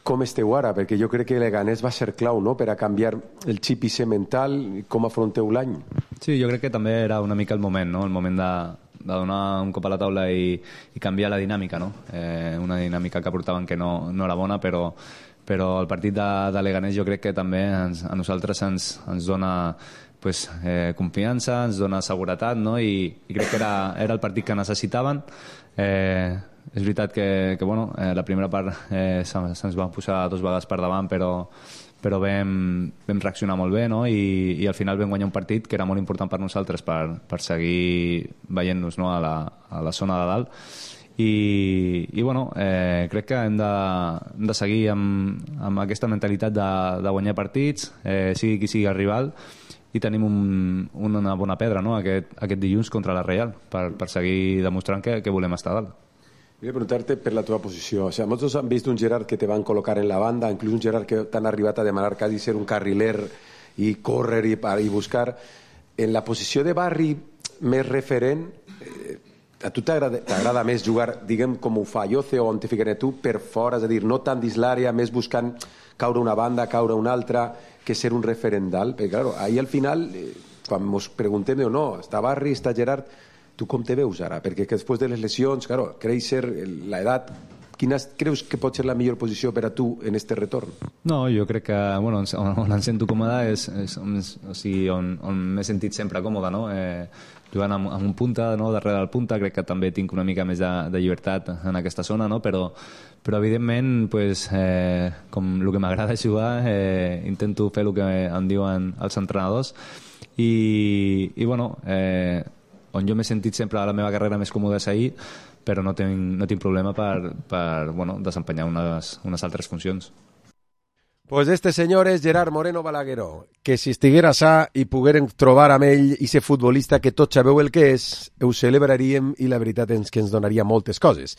Com esteu ara? Perquè jo crec que Leganés va ser clau, no?, per a canviar el xip i ser mental. Com afronteu l'any? Sí, jo crec que també era una mica el moment, no?, el moment de, de donar un cop a la taula i, i canviar la dinàmica, no? Eh, una dinàmica que portaven que no, no era bona, però, però el partit de, de Leganés jo crec que també ens, a nosaltres ens, ens dona pues, eh, confiança, ens dona seguretat, no?, i, i crec que era, era el partit que necessitaven. Eh, és veritat que, que bueno, eh, la primera part eh, se'ns se va posar dos vegades per davant, però, però vam, vam reaccionar molt bé, no? I, i al final vam guanyar un partit que era molt important per nosaltres per, per seguir veient-nos, no? a, la, a la zona de dalt. I, i bueno, eh, crec que hem de, hem de seguir amb, amb aquesta mentalitat de, de guanyar partits, eh, sigui qui sigui el rival, i tenim un, una bona pedra, no?, aquest, aquest dilluns contra la Real, per, per seguir demostrant que, que volem estar dalt. Volia preguntar-te per la teva posició. O sea, molts han vist un Gerard que te van col·locar en la banda, inclús un Gerard que t'han arribat a demanar quasi ser un carriler i córrer i, i buscar. En la posició de Barri més referent, eh, a tu t'agrada més jugar, diguem, com ho fa Yoce o on te ficaré tu, per fora, és a dir, no tant dins l'àrea, més buscant caure una banda, caure una altra, que ser un referent dalt? Perquè, clar, ahir al final, eh, quan ens preguntem, no, està Barri, està Gerard, tu com te veus ara? Perquè que després de les lesions, claro, créixer, l'edat, quina creus que pot ser la millor posició per a tu en este retorn? No, jo crec que bueno, on, on em sento còmode és, és on, o sigui, on, on m'he sentit sempre còmode, no? Eh, jugant amb, amb un punta, no? Darrere del punta, crec que també tinc una mica més de, de llibertat en aquesta zona, no? Però, però evidentment, pues, eh, com el que m'agrada jugar, eh, intento fer el que em diuen els entrenadors i, i bueno, eh, on jo m'he sentit sempre a la meva carrera més còmode és ahir, però no tinc, no tinc problema per, per bueno, desempenyar unes, unes altres funcions. Pues este senyor és Gerard Moreno Balagueró, que si estiguera sa i poguérem trobar amb ell i ser futbolista que tots sabeu el que és, ho celebraríem i la veritat és que ens donaria moltes coses.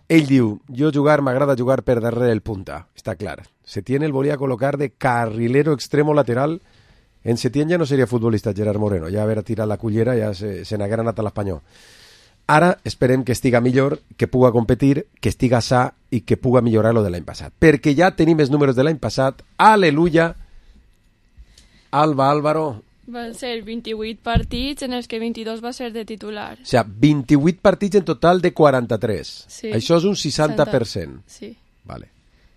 Ell diu, jo jugar m'agrada jugar per darrere el punta, està clar. Setién el volia col·locar de carrilero extremo lateral. En Setién ja no seria futbolista Gerard Moreno, ja haver tirat la cullera ja se, se n'haguera anat a l'Espanyol. Ara esperem que estiga millor, que puga competir, que estiga sa i que puga millorar lo de l'any passat. Perquè ja tenim els números de l'any passat. Aleluia! Alba Álvaro. Van ser vint-i-vuit partits en els que vint-i-dos va ser de titular. O sigui, vint-i-vuit partits en total de quaranta-tres. Sí. Això és un seixanta per cent. Sí. Vale.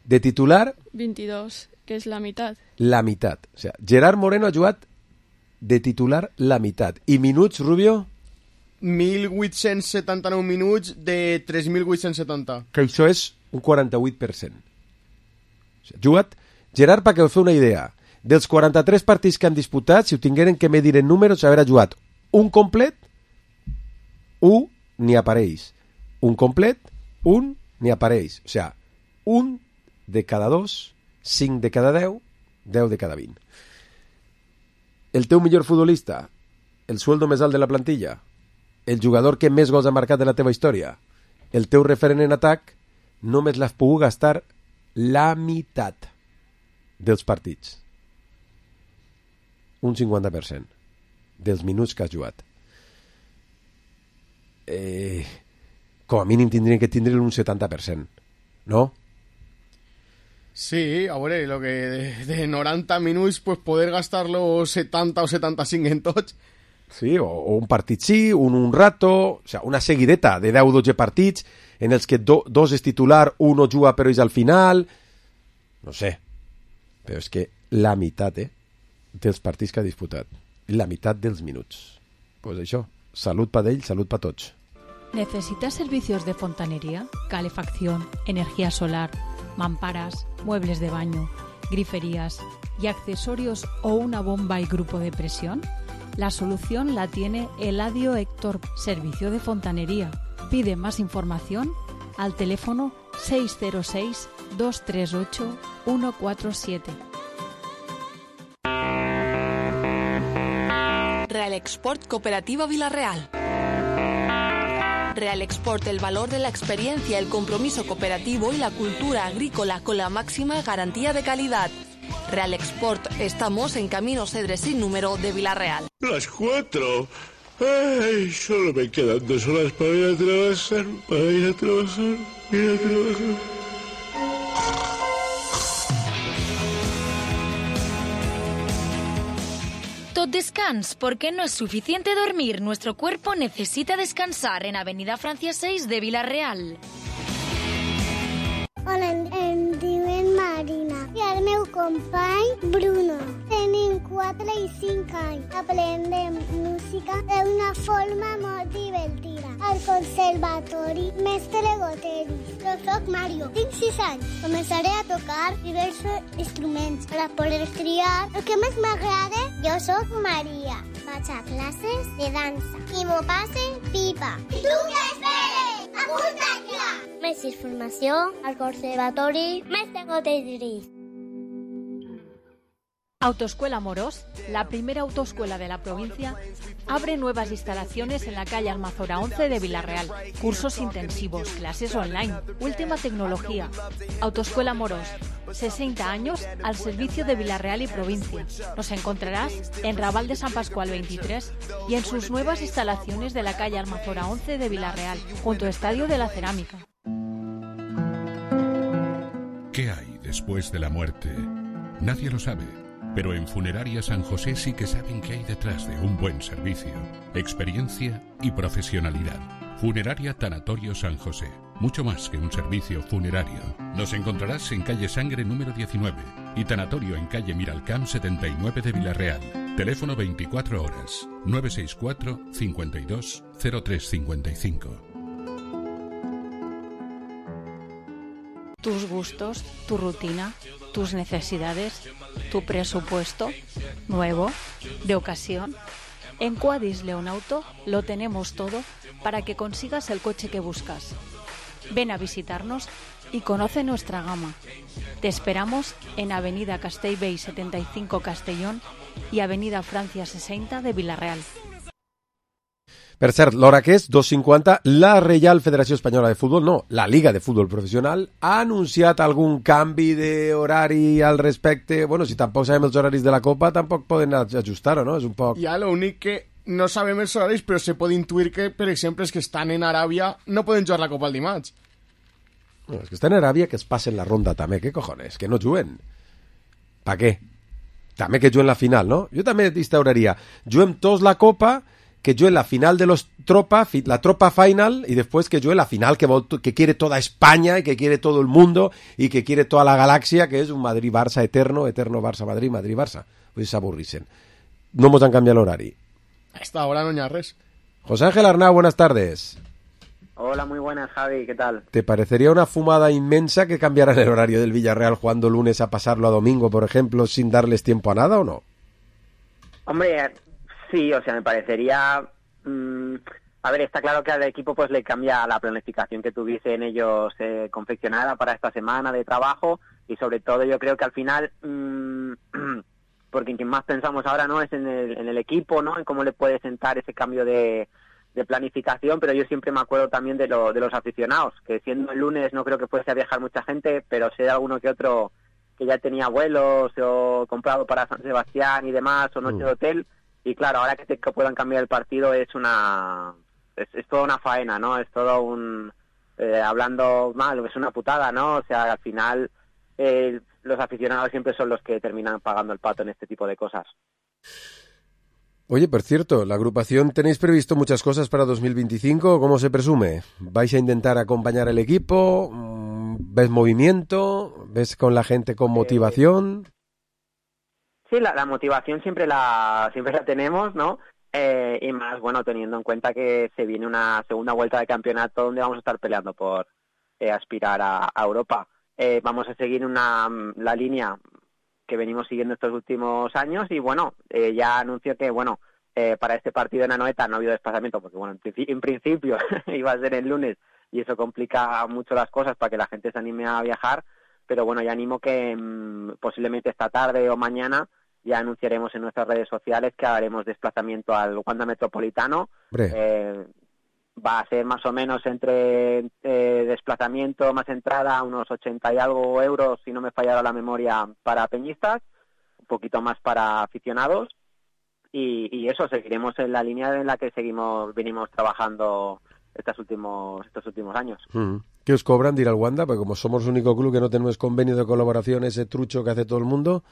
De titular? vint-i-dos, que és la meitat. La meitat. O sigui, Gerard Moreno ha jugat de titular la meitat. I minuts, Rubio? mil vuit-cents setanta-nou minuts de tres mil vuit-cents setanta. Que això és un quaranta-vuit per cent. O sigui, jugat... Gerard, perquè us feu una idea, dels quaranta-tres partits que han disputat, si ho tingueren que medir en números, haver jugat un complet, un ni apareix. Un complet, un ni apareix. O sigui, un de cada dos, cinc de cada deu, deu de cada vint. El teu millor futbolista, el sueldo més alt de la plantilla, el jugador que més gols ha marcat de la teva història, el teu referent en atac, només l'has pogut gastar la meitat dels partits. Un cinquanta per cent dels minuts que has jugat. Eh, com a mínim tindrien que tindre un setanta per cent, no? Sí, a veure, lo que de, de noranta minuts, pues poder gastar-lo setanta o setanta-cinc en tots. Sí, o, o un partit sí, un un rato, o sea, una seguideta de deu o dotze partits en els que do, dos és titular, un no juga però és al final, no sé, però és que la meitat eh, dels partits que ha disputat, la meitat dels minuts. Pues això, salut per ell, salut per tots. ¿Necesitas servicios de fontanería, calefacción, energía solar, mamparas, muebles de baño, griferías y accesorios o una bomba y grupo de presión? La solución la tiene Eladio Héctor, servicio de fontanería. Pide más información al teléfono seis cero seis, dos tres ocho, uno cuatro siete. Real Export Cooperativa Vilarreal. Real Export, el valor de la experiencia, el compromiso cooperativo y la cultura agrícola con la máxima garantía de calidad. Real Export, estamos en Camino Cedre sin número de Vilarreal. Las cuatro. Ay, solo me quedan dos horas para ir a trabajar, para ir a trabajar, ir a trabajar. Tot descans, porque no es suficiente dormir. Nuestro cuerpo necesita descansar en Avenida Francia seis de Vilarreal. Hola, em diuen Marina i el meu company Bruno. Tenim quatre i cinc anys. Aprendem música d'una forma molt divertida. Al conservatori Mestre Goteris. Jo soc Mario, tinc sis anys. Començaré a tocar diversos instruments per a poder triar el que més m'agrada. Jo soc Maria. Vaig a classes de dansa i m'ho passe pipa. I tu què esperes? Apunta't ja! Més informació al conservatori Mestre Goteris. Autoescuela Morós, la primera autoescuela de la provincia, abre nuevas instalaciones en la calle Almazora once de Villarreal. Cursos intensivos, clases online, última tecnología. Autoescuela Morós, sesenta años al servicio de Villarreal y provincia. Nos encontrarás en Raval de San Pascual veintitrés y en sus nuevas instalaciones de la calle Almazora once de Villarreal, junto al Estadio de la Cerámica. ¿Qué hay después de la muerte? Nadie lo sabe. Pero en Funeraria San José sí que saben qué hay detrás de un buen servicio, experiencia y profesionalidad. Funeraria Tanatorio San José, mucho más que un servicio funerario. Nos encontrarás en calle Sangre número diecinueve y Tanatorio en calle Miralcamp setenta y nueve de Villarreal. Teléfono veinticuatro horas, nueve seis cuatro, cincuenta y dos, cero tres cincuenta y cinco. Tus gustos, tu rutina, tus necesidades, tu presupuesto, nuevo, de ocasión. En Quadis Leonauto lo tenemos todo para que consigas el coche que buscas. Ven a visitarnos y conoce nuestra gama. Te esperamos en Avenida Castellbell setenta y cinco Castellón y Avenida Francia sesenta de Villarreal. Per cert, l'hora que és dos cinquanta, la Reial Federació Espanyola de Futbol, no, la Liga de Futbol Professional, ha anunciat algun canvi d'horari al respecte. Bueno, si tampoc sabem els horaris de la Copa, tampoc poden ajustar-ho, no? És un poc... Ja, l'únic que no sabem els horaris, però se pot intuir que, per exemple, els que estan en Aràbia no poden jugar la Copa el dimarts. No, els que estan en Aràbia que es passen la ronda també, què cojones, que no juguen. Pa què? També que juguen la final, no? Jo també instauraria, juguem tots la Copa, que juegue la final de los tropa, la tropa final, y después que juegue la final que, que quiere toda España y que quiere todo el mundo y que quiere toda la galaxia, que es un Madrid-Barça eterno, eterno Barça-Madrid, Madrid-Barça. Pues s'avorrisen. No mos han cambiado el horario. Hasta ahora no hi ha res. José Ángel Arnau, buenas tardes. Hola, muy buenas, Javi, ¿qué tal? ¿Te parecería una fumada inmensa que cambiaran el horario del Villarreal jugando lunes a pasarlo a domingo, por ejemplo, sin darles tiempo a nada o no? Hombre... Sí, o sea, me parecería... Mmm, a ver, está claro que al equipo pues le cambia la planificación que tuviesen ellos eh, confeccionada para esta semana de trabajo y sobre todo yo creo que al final, mmm, porque en quien más pensamos ahora no es en el, en el equipo, ¿no? En cómo le puede sentar ese cambio de, de planificación, pero yo siempre me acuerdo también de, lo, de los aficionados, que siendo el lunes no creo que fuese a viajar mucha gente, pero sé de alguno que otro que ya tenía vuelos o comprado para San Sebastián y demás, o noche de hotel. Y claro, ahora que te que puedan cambiar el partido es una es, es toda una faena, ¿no? Es todo un... Eh, hablando mal, es una putada, ¿no? O sea, al final eh, los aficionados siempre son los que terminan pagando el pato en este tipo de cosas. Oye, por cierto, la agrupación, ¿tenéis previsto muchas cosas para dos mil veinticinco? ¿Cómo se presume? ¿Vais a intentar acompañar al equipo? ¿Ves movimiento? ¿Ves con la gente con motivación? Eh... Sí, la, la motivación siempre la siempre la tenemos, ¿no? Eh, y más, bueno, teniendo en cuenta que se viene una segunda vuelta de campeonato donde vamos a estar peleando por eh, aspirar a, a Europa. Eh, vamos a seguir una la línea que venimos siguiendo estos últimos años y, bueno, eh, ya anuncio que, bueno, eh, para este partido en Anoeta no ha habido desplazamiento porque, bueno, en, en principio iba a ser el lunes y eso complica mucho las cosas para que la gente se anime a viajar, pero, bueno, ya animo que mmm, posiblemente esta tarde o mañana ya anunciaremos en nuestras redes sociales que haremos desplazamiento al Wanda Metropolitano. Eh, va a ser más o menos entre eh, desplazamiento más entrada, unos ochenta y algo euros, si no me fallara la memoria, para peñistas, un poquito más para aficionados. Y, y eso, seguiremos en la línea en la que seguimos venimos trabajando estos últimos estos últimos años. Mm. ¿Qué os cobran de ir al Wanda? Porque como somos el único club que no tenemos convenio de colaboración, ese trucho que hace todo el mundo...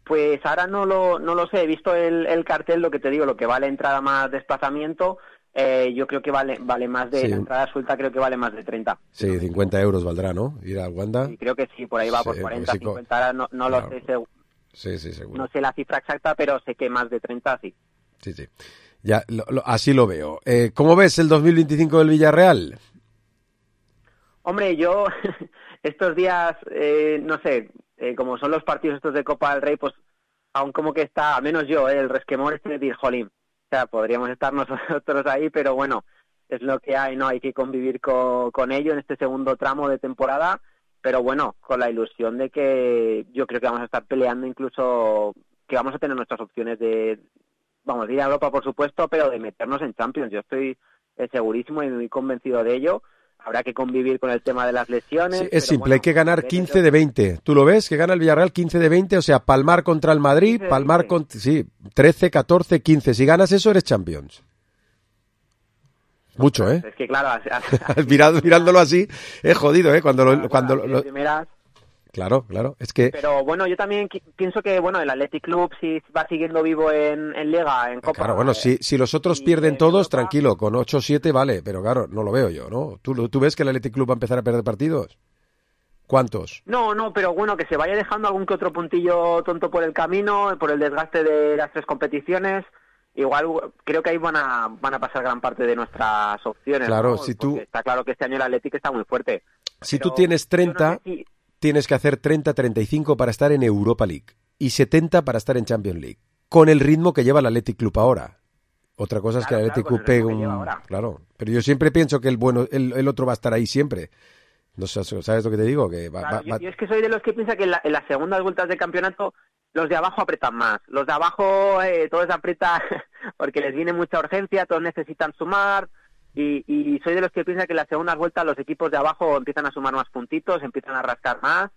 Pues ahora no lo no lo sé, he visto el, el cartel, lo que te digo, lo que vale entrada más desplazamiento, eh, yo creo que vale vale más de, sí. La entrada suelta creo que vale más de treinta. Sí, cincuenta euros valdrá, ¿no? Ir al Wanda. Sí, creo que sí, por ahí va, sí, por cuarenta, pues sí, cincuenta, ahora no, no claro. lo sé seguro. Sí, sí, seguro. No sé la cifra exacta, pero sé que más de treinta, sí. Sí, sí, ya, lo, lo, así lo veo. Eh, ¿Cómo ves el dos mil veinticinco del Villarreal? Hombre, yo estos días, eh, no sé... Eh, como son los partidos estos de Copa del Rey, pues aún como que está, al menos yo, eh, el resquemor este de decir, jolín, o sea, podríamos estar nosotros ahí, pero bueno, es lo que hay, ¿no? Hay que convivir con, con ello en este segundo tramo de temporada pero bueno, con la ilusión de que yo creo que vamos a estar peleando, incluso que vamos a tener nuestras opciones de, vamos, de ir a Europa por supuesto, pero de meternos en Champions. Yo estoy eh, segurísimo y muy convencido de ello. Habrá que convivir con el tema de las lesiones. Sí, es simple, bueno, hay que ganar quince de veinte. ¿Tú lo ves? Que gana el Villarreal quince de veinte, o sea, palmar contra el Madrid, palmar con... Sí, trece, catorce, quince. Si ganas eso, eres Champions. Mucho, ¿eh? Es que claro... Así, así, Mirando, mirándolo así, es jodido, ¿eh? Cuando lo... Cuando lo... Primeras... Claro, claro, es que... Pero bueno, yo también pienso que, bueno, el Athletic Club si va siguiendo vivo en, en Liga, en Copa... Claro, bueno, eh, si, si los otros pierden todos, Europa... tranquilo, con ocho o siete vale, pero claro, no lo veo yo, ¿no? ¿Tú, ¿Tú ves que el Athletic Club va a empezar a perder partidos? ¿Cuántos? No, no, pero bueno, que se vaya dejando algún que otro puntillo tonto por el camino, por el desgaste de las tres competiciones... Igual creo que ahí van a van a pasar gran parte de nuestras opciones. Claro, ¿no? si Porque tú... está claro que este año el Athletic está muy fuerte. Si Pero tú tienes treinta... no sé si... Tienes que hacer treinta, treinta y cinco para estar en Europa League y setenta para estar en Champions League, con el ritmo que lleva el Athletic Club ahora. Otra cosa es claro, que el Athletic claro, Club pegue un... Claro, pero yo siempre pienso que el bueno el, el otro va a estar ahí siempre. No sé, ¿sabes lo que te digo? Que va, claro, va, yo, va... yo es que soy de los que piensa que en, la, en las segundas vueltas de campeonato los de abajo apretan más. Los de abajo eh, todos apretan porque les viene mucha urgencia, todos necesitan sumar... Y, y soy de los que piensa que en las segundas vueltas los equipos de abajo empiezan a sumar más puntitos, empiezan a rascar más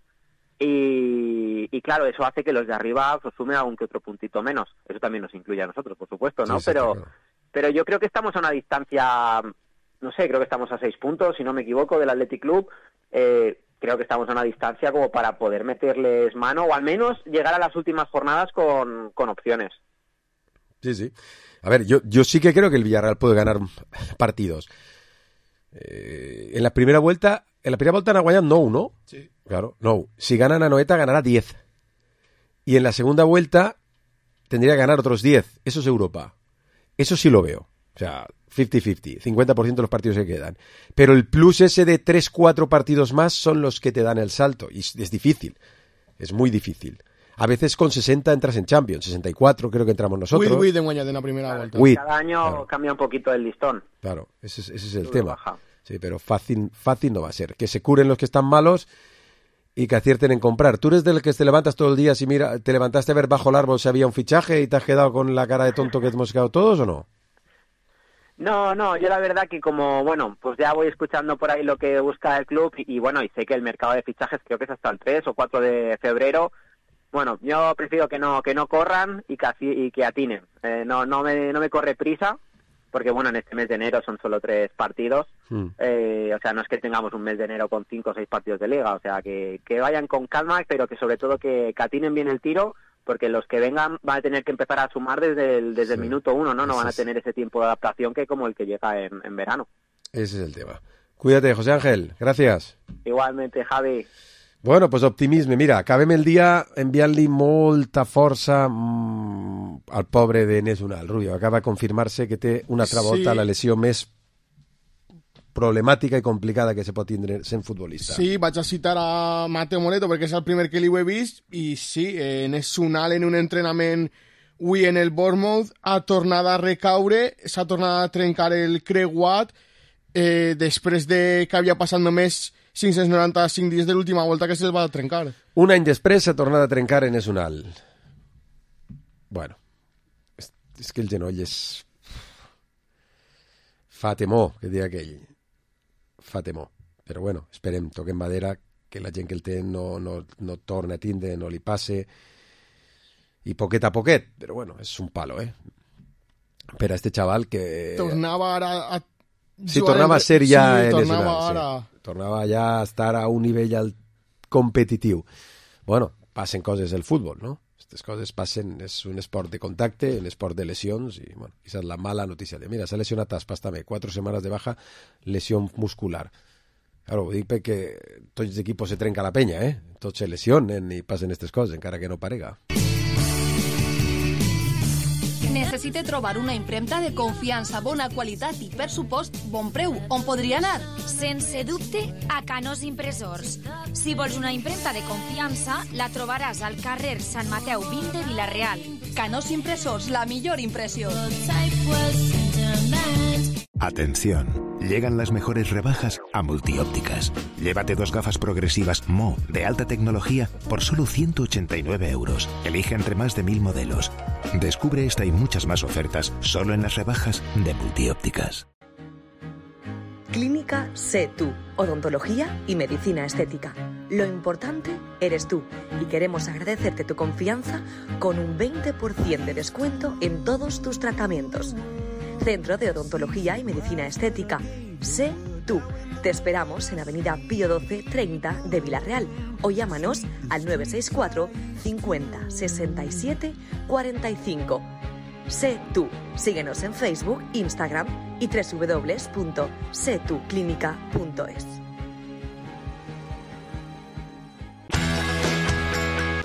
y, y claro, eso hace que los de arriba pues, sumen algún que otro puntito menos. Eso también nos incluye a nosotros, por supuesto, ¿no? Sí, sí, pero, claro. pero yo creo que estamos a una distancia, no sé, creo que estamos a seis puntos, si no me equivoco, del Athletic Club. Eh, creo que estamos a una distancia como para poder meterles mano o al menos llegar a las últimas jornadas con, con opciones. Sí, sí. A ver, yo, yo sí que creo que el Villarreal puede ganar partidos. Eh, en la primera vuelta, en la primera vuelta en Aguayán no, ¿no? Sí. Claro, no. Si gana Anoeta ganará diez. Y en la segunda vuelta tendría que ganar otros diez. Eso es Europa. Eso sí lo veo. O sea, cincuenta cincuenta, cincuenta por ciento de los partidos que quedan. Pero el plus ese de tres cuatro partidos más son los que te dan el salto. Y es, es difícil. Es muy difícil. A veces con sesenta entras en Champions, sesenta y cuatro creo que entramos nosotros. With, with en Guaña de la primera vuelta. With, Cada año claro. cambia un poquito el listón. Claro, ese es, ese es el Sube tema. Baja. Sí, pero fácil, fácil no va a ser. Que se curen los que están malos y que acierten en comprar. ¿Tú eres del que te levantas todo el día si mira, te levantaste a ver bajo el árbol si había un fichaje y te has quedado con la cara de tonto que hemos quedado todos o no? No, no, yo la verdad que como, bueno, pues ya voy escuchando por ahí lo que busca el club y, y bueno, y sé que el mercado de fichajes creo que es hasta el tres o cuatro de febrero. Bueno, yo prefiero que no que no corran y que, y que atinen. Eh, no no me no me corre prisa, porque bueno, en este mes de enero son solo tres partidos. Mm. Eh, o sea, no es que tengamos un mes de enero con cinco o seis partidos de liga. O sea, que, que vayan con calma, pero que sobre todo que, que atinen bien el tiro, porque los que vengan van a tener que empezar a sumar desde el, desde sí. el minuto uno, ¿no? No van a tener ese tiempo de adaptación que como el que llega en, en verano. Ese es el tema. Cuídate, José Ángel. Gracias. Igualmente, Javi. Bueno, pues optimisme. Mira, acabem el dia enviant-li molta força mmm, al pobre de Enes Unal. Rubio, acaba de confirmar-se que té una altra volta sí. la lesió més problemàtica i complicada que se pot tindre sent futbolista. Sí, vaig a citar a Mateo Moreto perquè és el primer que li ho he vist i sí, Enes Unal en un entrenament avui en el Bournemouth ha tornat a recaure, s'ha tornat a trencar el creuat eh, després de que havia passat només cinc-cents noranta-cinc dies de l'última volta que se'l va trencar. Un any després s'ha tornat a trencar Enes Unal. Bueno, és, és que el genoll és... fa temor, que diria aquell. Fa temor. Però bueno, esperem, toquem madera, que la gent que el té no, no, no torna a tindre, no li passe, i poquet a poquet. Però bueno, és un palo, eh? Per a este xaval que... Tornava ara a... Sí, tornava a ser ja sí, Enes tornava Unal, ara... sí. Tornava ja a estar a un nivell competitiu. Bueno, passen coses del futbol, no? Aquestes coses passen, és un esport de contacte, un esport de lesions, i bueno, esa és la mala notícia. De, mira, s'ha lesionat Aspas també, quatre setmanes de baja, lesió muscular. Claro, ho dic perquè tots els equipos se trenca la penya, eh? Tots se lesionen i passen aquestes coses, encara que no parega. Necessite trobar una impremta de confiança, bona qualitat i, per supost, bon preu. On podria anar? Sense dubte, a Canós Impressors. Si vols una impremta de confiança, la trobaràs al carrer Sant Mateu vint de Vila-real. Canós Impressors, la millor impressió. Atención. Llegan las mejores rebajas a Multiópticas. Llévate dos gafas progresivas Mo de alta tecnología por solo ciento ochenta y nueve euros. Elige entre más de mil modelos. Descubre esta y muchas más ofertas solo en las rebajas de Multiópticas. Clínica Sé Tú, odontología y medicina estética. Lo importante eres tú y queremos agradecerte tu confianza con un veinte por ciento de descuento en todos tus tratamientos. Centro de Odontología y Medicina Estética. Sé Tú. Te esperamos en Avenida Pío doce treinta de Villarreal o llámanos al nueve seis cuatro cincuenta sesenta y siete cuarenta y cinco. Sé Tú. Síguenos en Facebook, Instagram y doble u doble u doble u punto sé tú clínica punto es.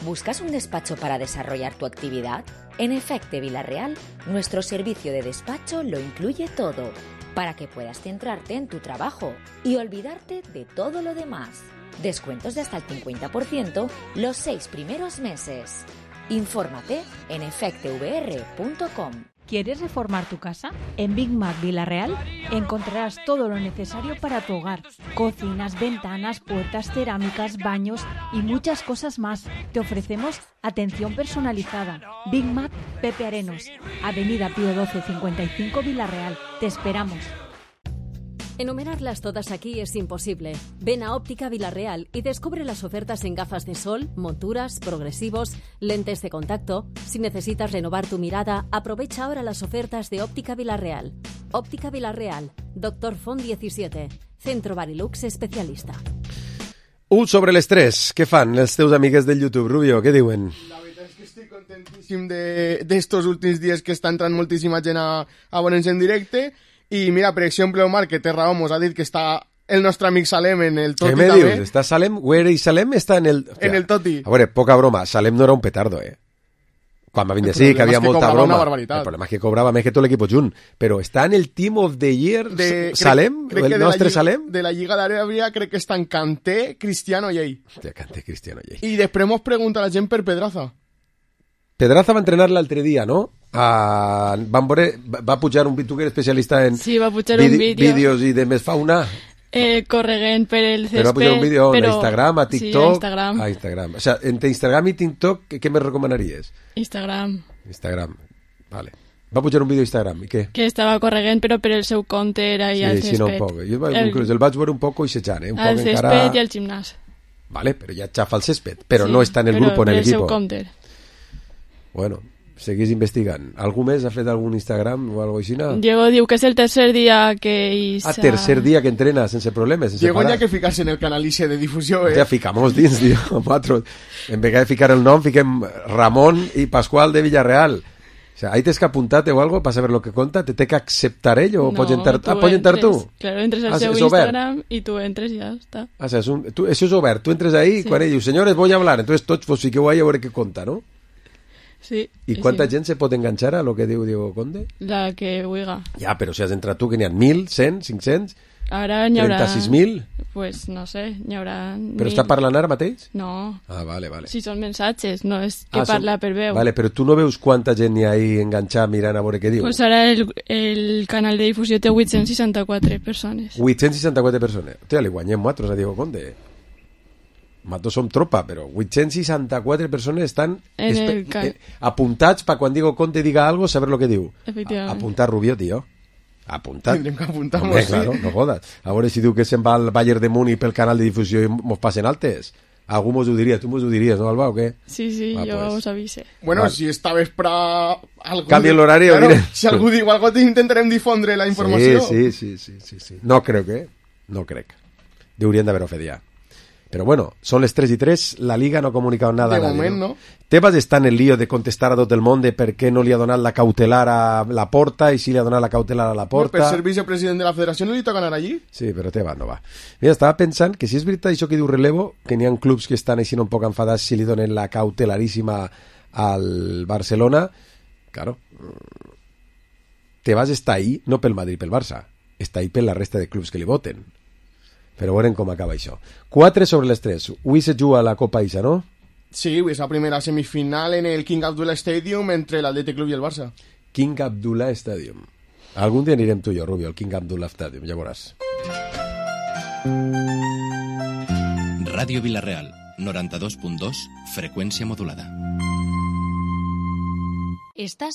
¿Buscas un despacho para desarrollar tu actividad? En Efecte Villarreal, nuestro servicio de despacho lo incluye todo, para que puedas centrarte en tu trabajo y olvidarte de todo lo demás. Descuentos de hasta el cincuenta por ciento los seis primeros meses. Infórmate en efecte v r punto com. ¿Quieres reformar tu casa? En Big Mac Villarreal encontrarás todo lo necesario para tu hogar. Cocinas, ventanas, puertas, cerámicas, baños y muchas cosas más. Te ofrecemos atención personalizada. Big Mac Pepe Arenos, Avenida Pío doce cincuenta y cinco Villarreal. Te esperamos. Enumerarlas todas aquí es imposible. Ven a Óptica Villarreal y descubre las ofertas en gafas de sol, monturas, progresivos, lentes de contacto. Si necesitas renovar tu mirada, aprovecha ahora las ofertas de Óptica Villarreal. Óptica Villarreal, Doctor Font diecisiete, Centro Barilux especialista. Un sobre l'estrès. Què fan els teus amigues del YouTube, Rubio? Què diuen? La veritat és que estic contentíssim d'estos últims dies que està entrant moltíssima gent a, a veure'ns en directe. I mira, per exemple, Omar, que té raó, mos ha dit que està el nostre amic Salem en el Toti. Què me dius? Està Salem? Where is Salem? Està en el... En el Toti. A veure, poca broma, Salem no era un petardo, eh? Quan va vindre sí, que havia molta broma. El problema és que cobrava més que tot l'equip junt. Però està en el Team of the Year de, Salem? Crec, crec el nostre Lliga, Salem? De la Lliga d'Aràbia crec que està en Kanté, Cristiano i ell. Hòstia, Kanté, Cristiano i ell. I després mos pregunta la gent per Pedraza. Pedraza va entrenar l'altre dia, no? Uh, van veure, va pujar un tu que eres especialista en sí, va pujar un vídeo. vídeos i de més fauna. Eh, corregent per el césped. Però va pujar un vídeo però... a Instagram, a TikTok. Sí, a Instagram. A Instagram. O sea, entre Instagram i TikTok, què, què me recomanaries? Instagram. Instagram, vale. Va pujar un vídeo a Instagram, i què? Que estava corregent, però per el seu compte era ahí sí, al césped. Sí, no, un poc. Jo el, inclús el vaig veure un poc ixejant, eh? Un al poc césped encara... i al gimnàs. Vale, però ja xafa el césped. Però sí, no està en el grup, en el equipo. Però per el seu compte. Bueno, seguís investigant. Algú més ha fet algun Instagram o alguna cosa així? Diego diu que és el tercer dia que Isa... Ah, tercer dia que entrena sense problemes, sense Diego parar. ya que ficarse en el canal I C de difusió, eh? Ja ficamos dins, tio. Nosaltres, en vez de ficar el nom, fiquem Ramon i Pascual de Villarreal. O sea, ahí tens que apuntar-te o algo para saber lo que conta, te té que acceptar ell o no, pots entrar, tu ah, pots entrar tu? Claro, entres al ah, seu Instagram i tu entres i ja està. Ah, o sea, es un, tu, això és obert, tu entres ahí sí. Quan ell diu, senyores, voy a hablar, entonces tots vos fiqueu ahí a veure què conta, no? Sí. I quanta sí. gent se pot enganxar a lo que diu Diego Conde? La que huiga. Ja, però si has entrat tu, que n'hi ha mil, cent, cinc-cents... Ara n'hi haurà... trenta-sis mil? Pues no sé, n'hi haurà... Però està parlant ara mateix? No. Ah, vale, vale. Si són mensatges, no és que ah, parla són... per veu. Vale, però tu no veus quanta gent n'hi ha ahí enganxada mirant a veure què diu? Pues ara el, el canal de difusió té vuit-cents seixanta-quatre persones. vuit-cents seixanta-quatre persones. Hòstia, li guanyem nosaltres a Diego Conde. Nosaltres som tropa, però vuit-cents seixanta-quatre persones estan en el espe... apuntats per quan Diego Conde diga algo, saber lo que diu. Efectivament. Apuntar Rubio, tio. Apuntat. Tindrem que apuntar Hombre, sí. Claro, no jodas. A veure si diu que se'n va al Bayern de Múnich pel canal de difusió i mos passen altes. Algú mos ho diria, tu mos ho diries, no, Alba, o què? Sí, sí, va, jo pues. Us avise. Bueno, vale. Si esta vespre... Canvia l'horari. Claro, si algú diu algo, intentarem difondre la informació. Sí, sí, sí, sí, sí. No crec, eh? No crec. Deurien d'haver-ho fet ja. Pero bueno, son las tres y tres, la Liga no ha comunicado nada de a nadie. Moment, ¿no? ¿no? Tebas está en el lío de contestar a tot el món de per què no li ha donat la cautelar a la Porta i si li ha donat la cautelar a la Porta. No, per ser vicepresident de la federació no li toca anar allí? Sí, però Tebas no va. Mira, estava pensant que si és veritat això que diu Relevo, que n'hi ha clubs que estan així un poc enfadats si li donen la cautelaríssima al Barcelona, claro, Tebas està ahí no pel Madrid, pel Barça, està ahí per la resta de clubs que li voten. Però veurem com acaba això. quatre sobre les tres. Avui se juga la Copa Isa, no? Sí, és la primera semifinal en el King Abdullah Stadium entre l'Athletic Club i el Barça. King Abdullah Stadium. Algun dia anirem tu i jo, Rubio, al King Abdullah Stadium, ja veuràs. Ràdio Vila-real, noranta-dos punt dos, freqüència modulada. Estàs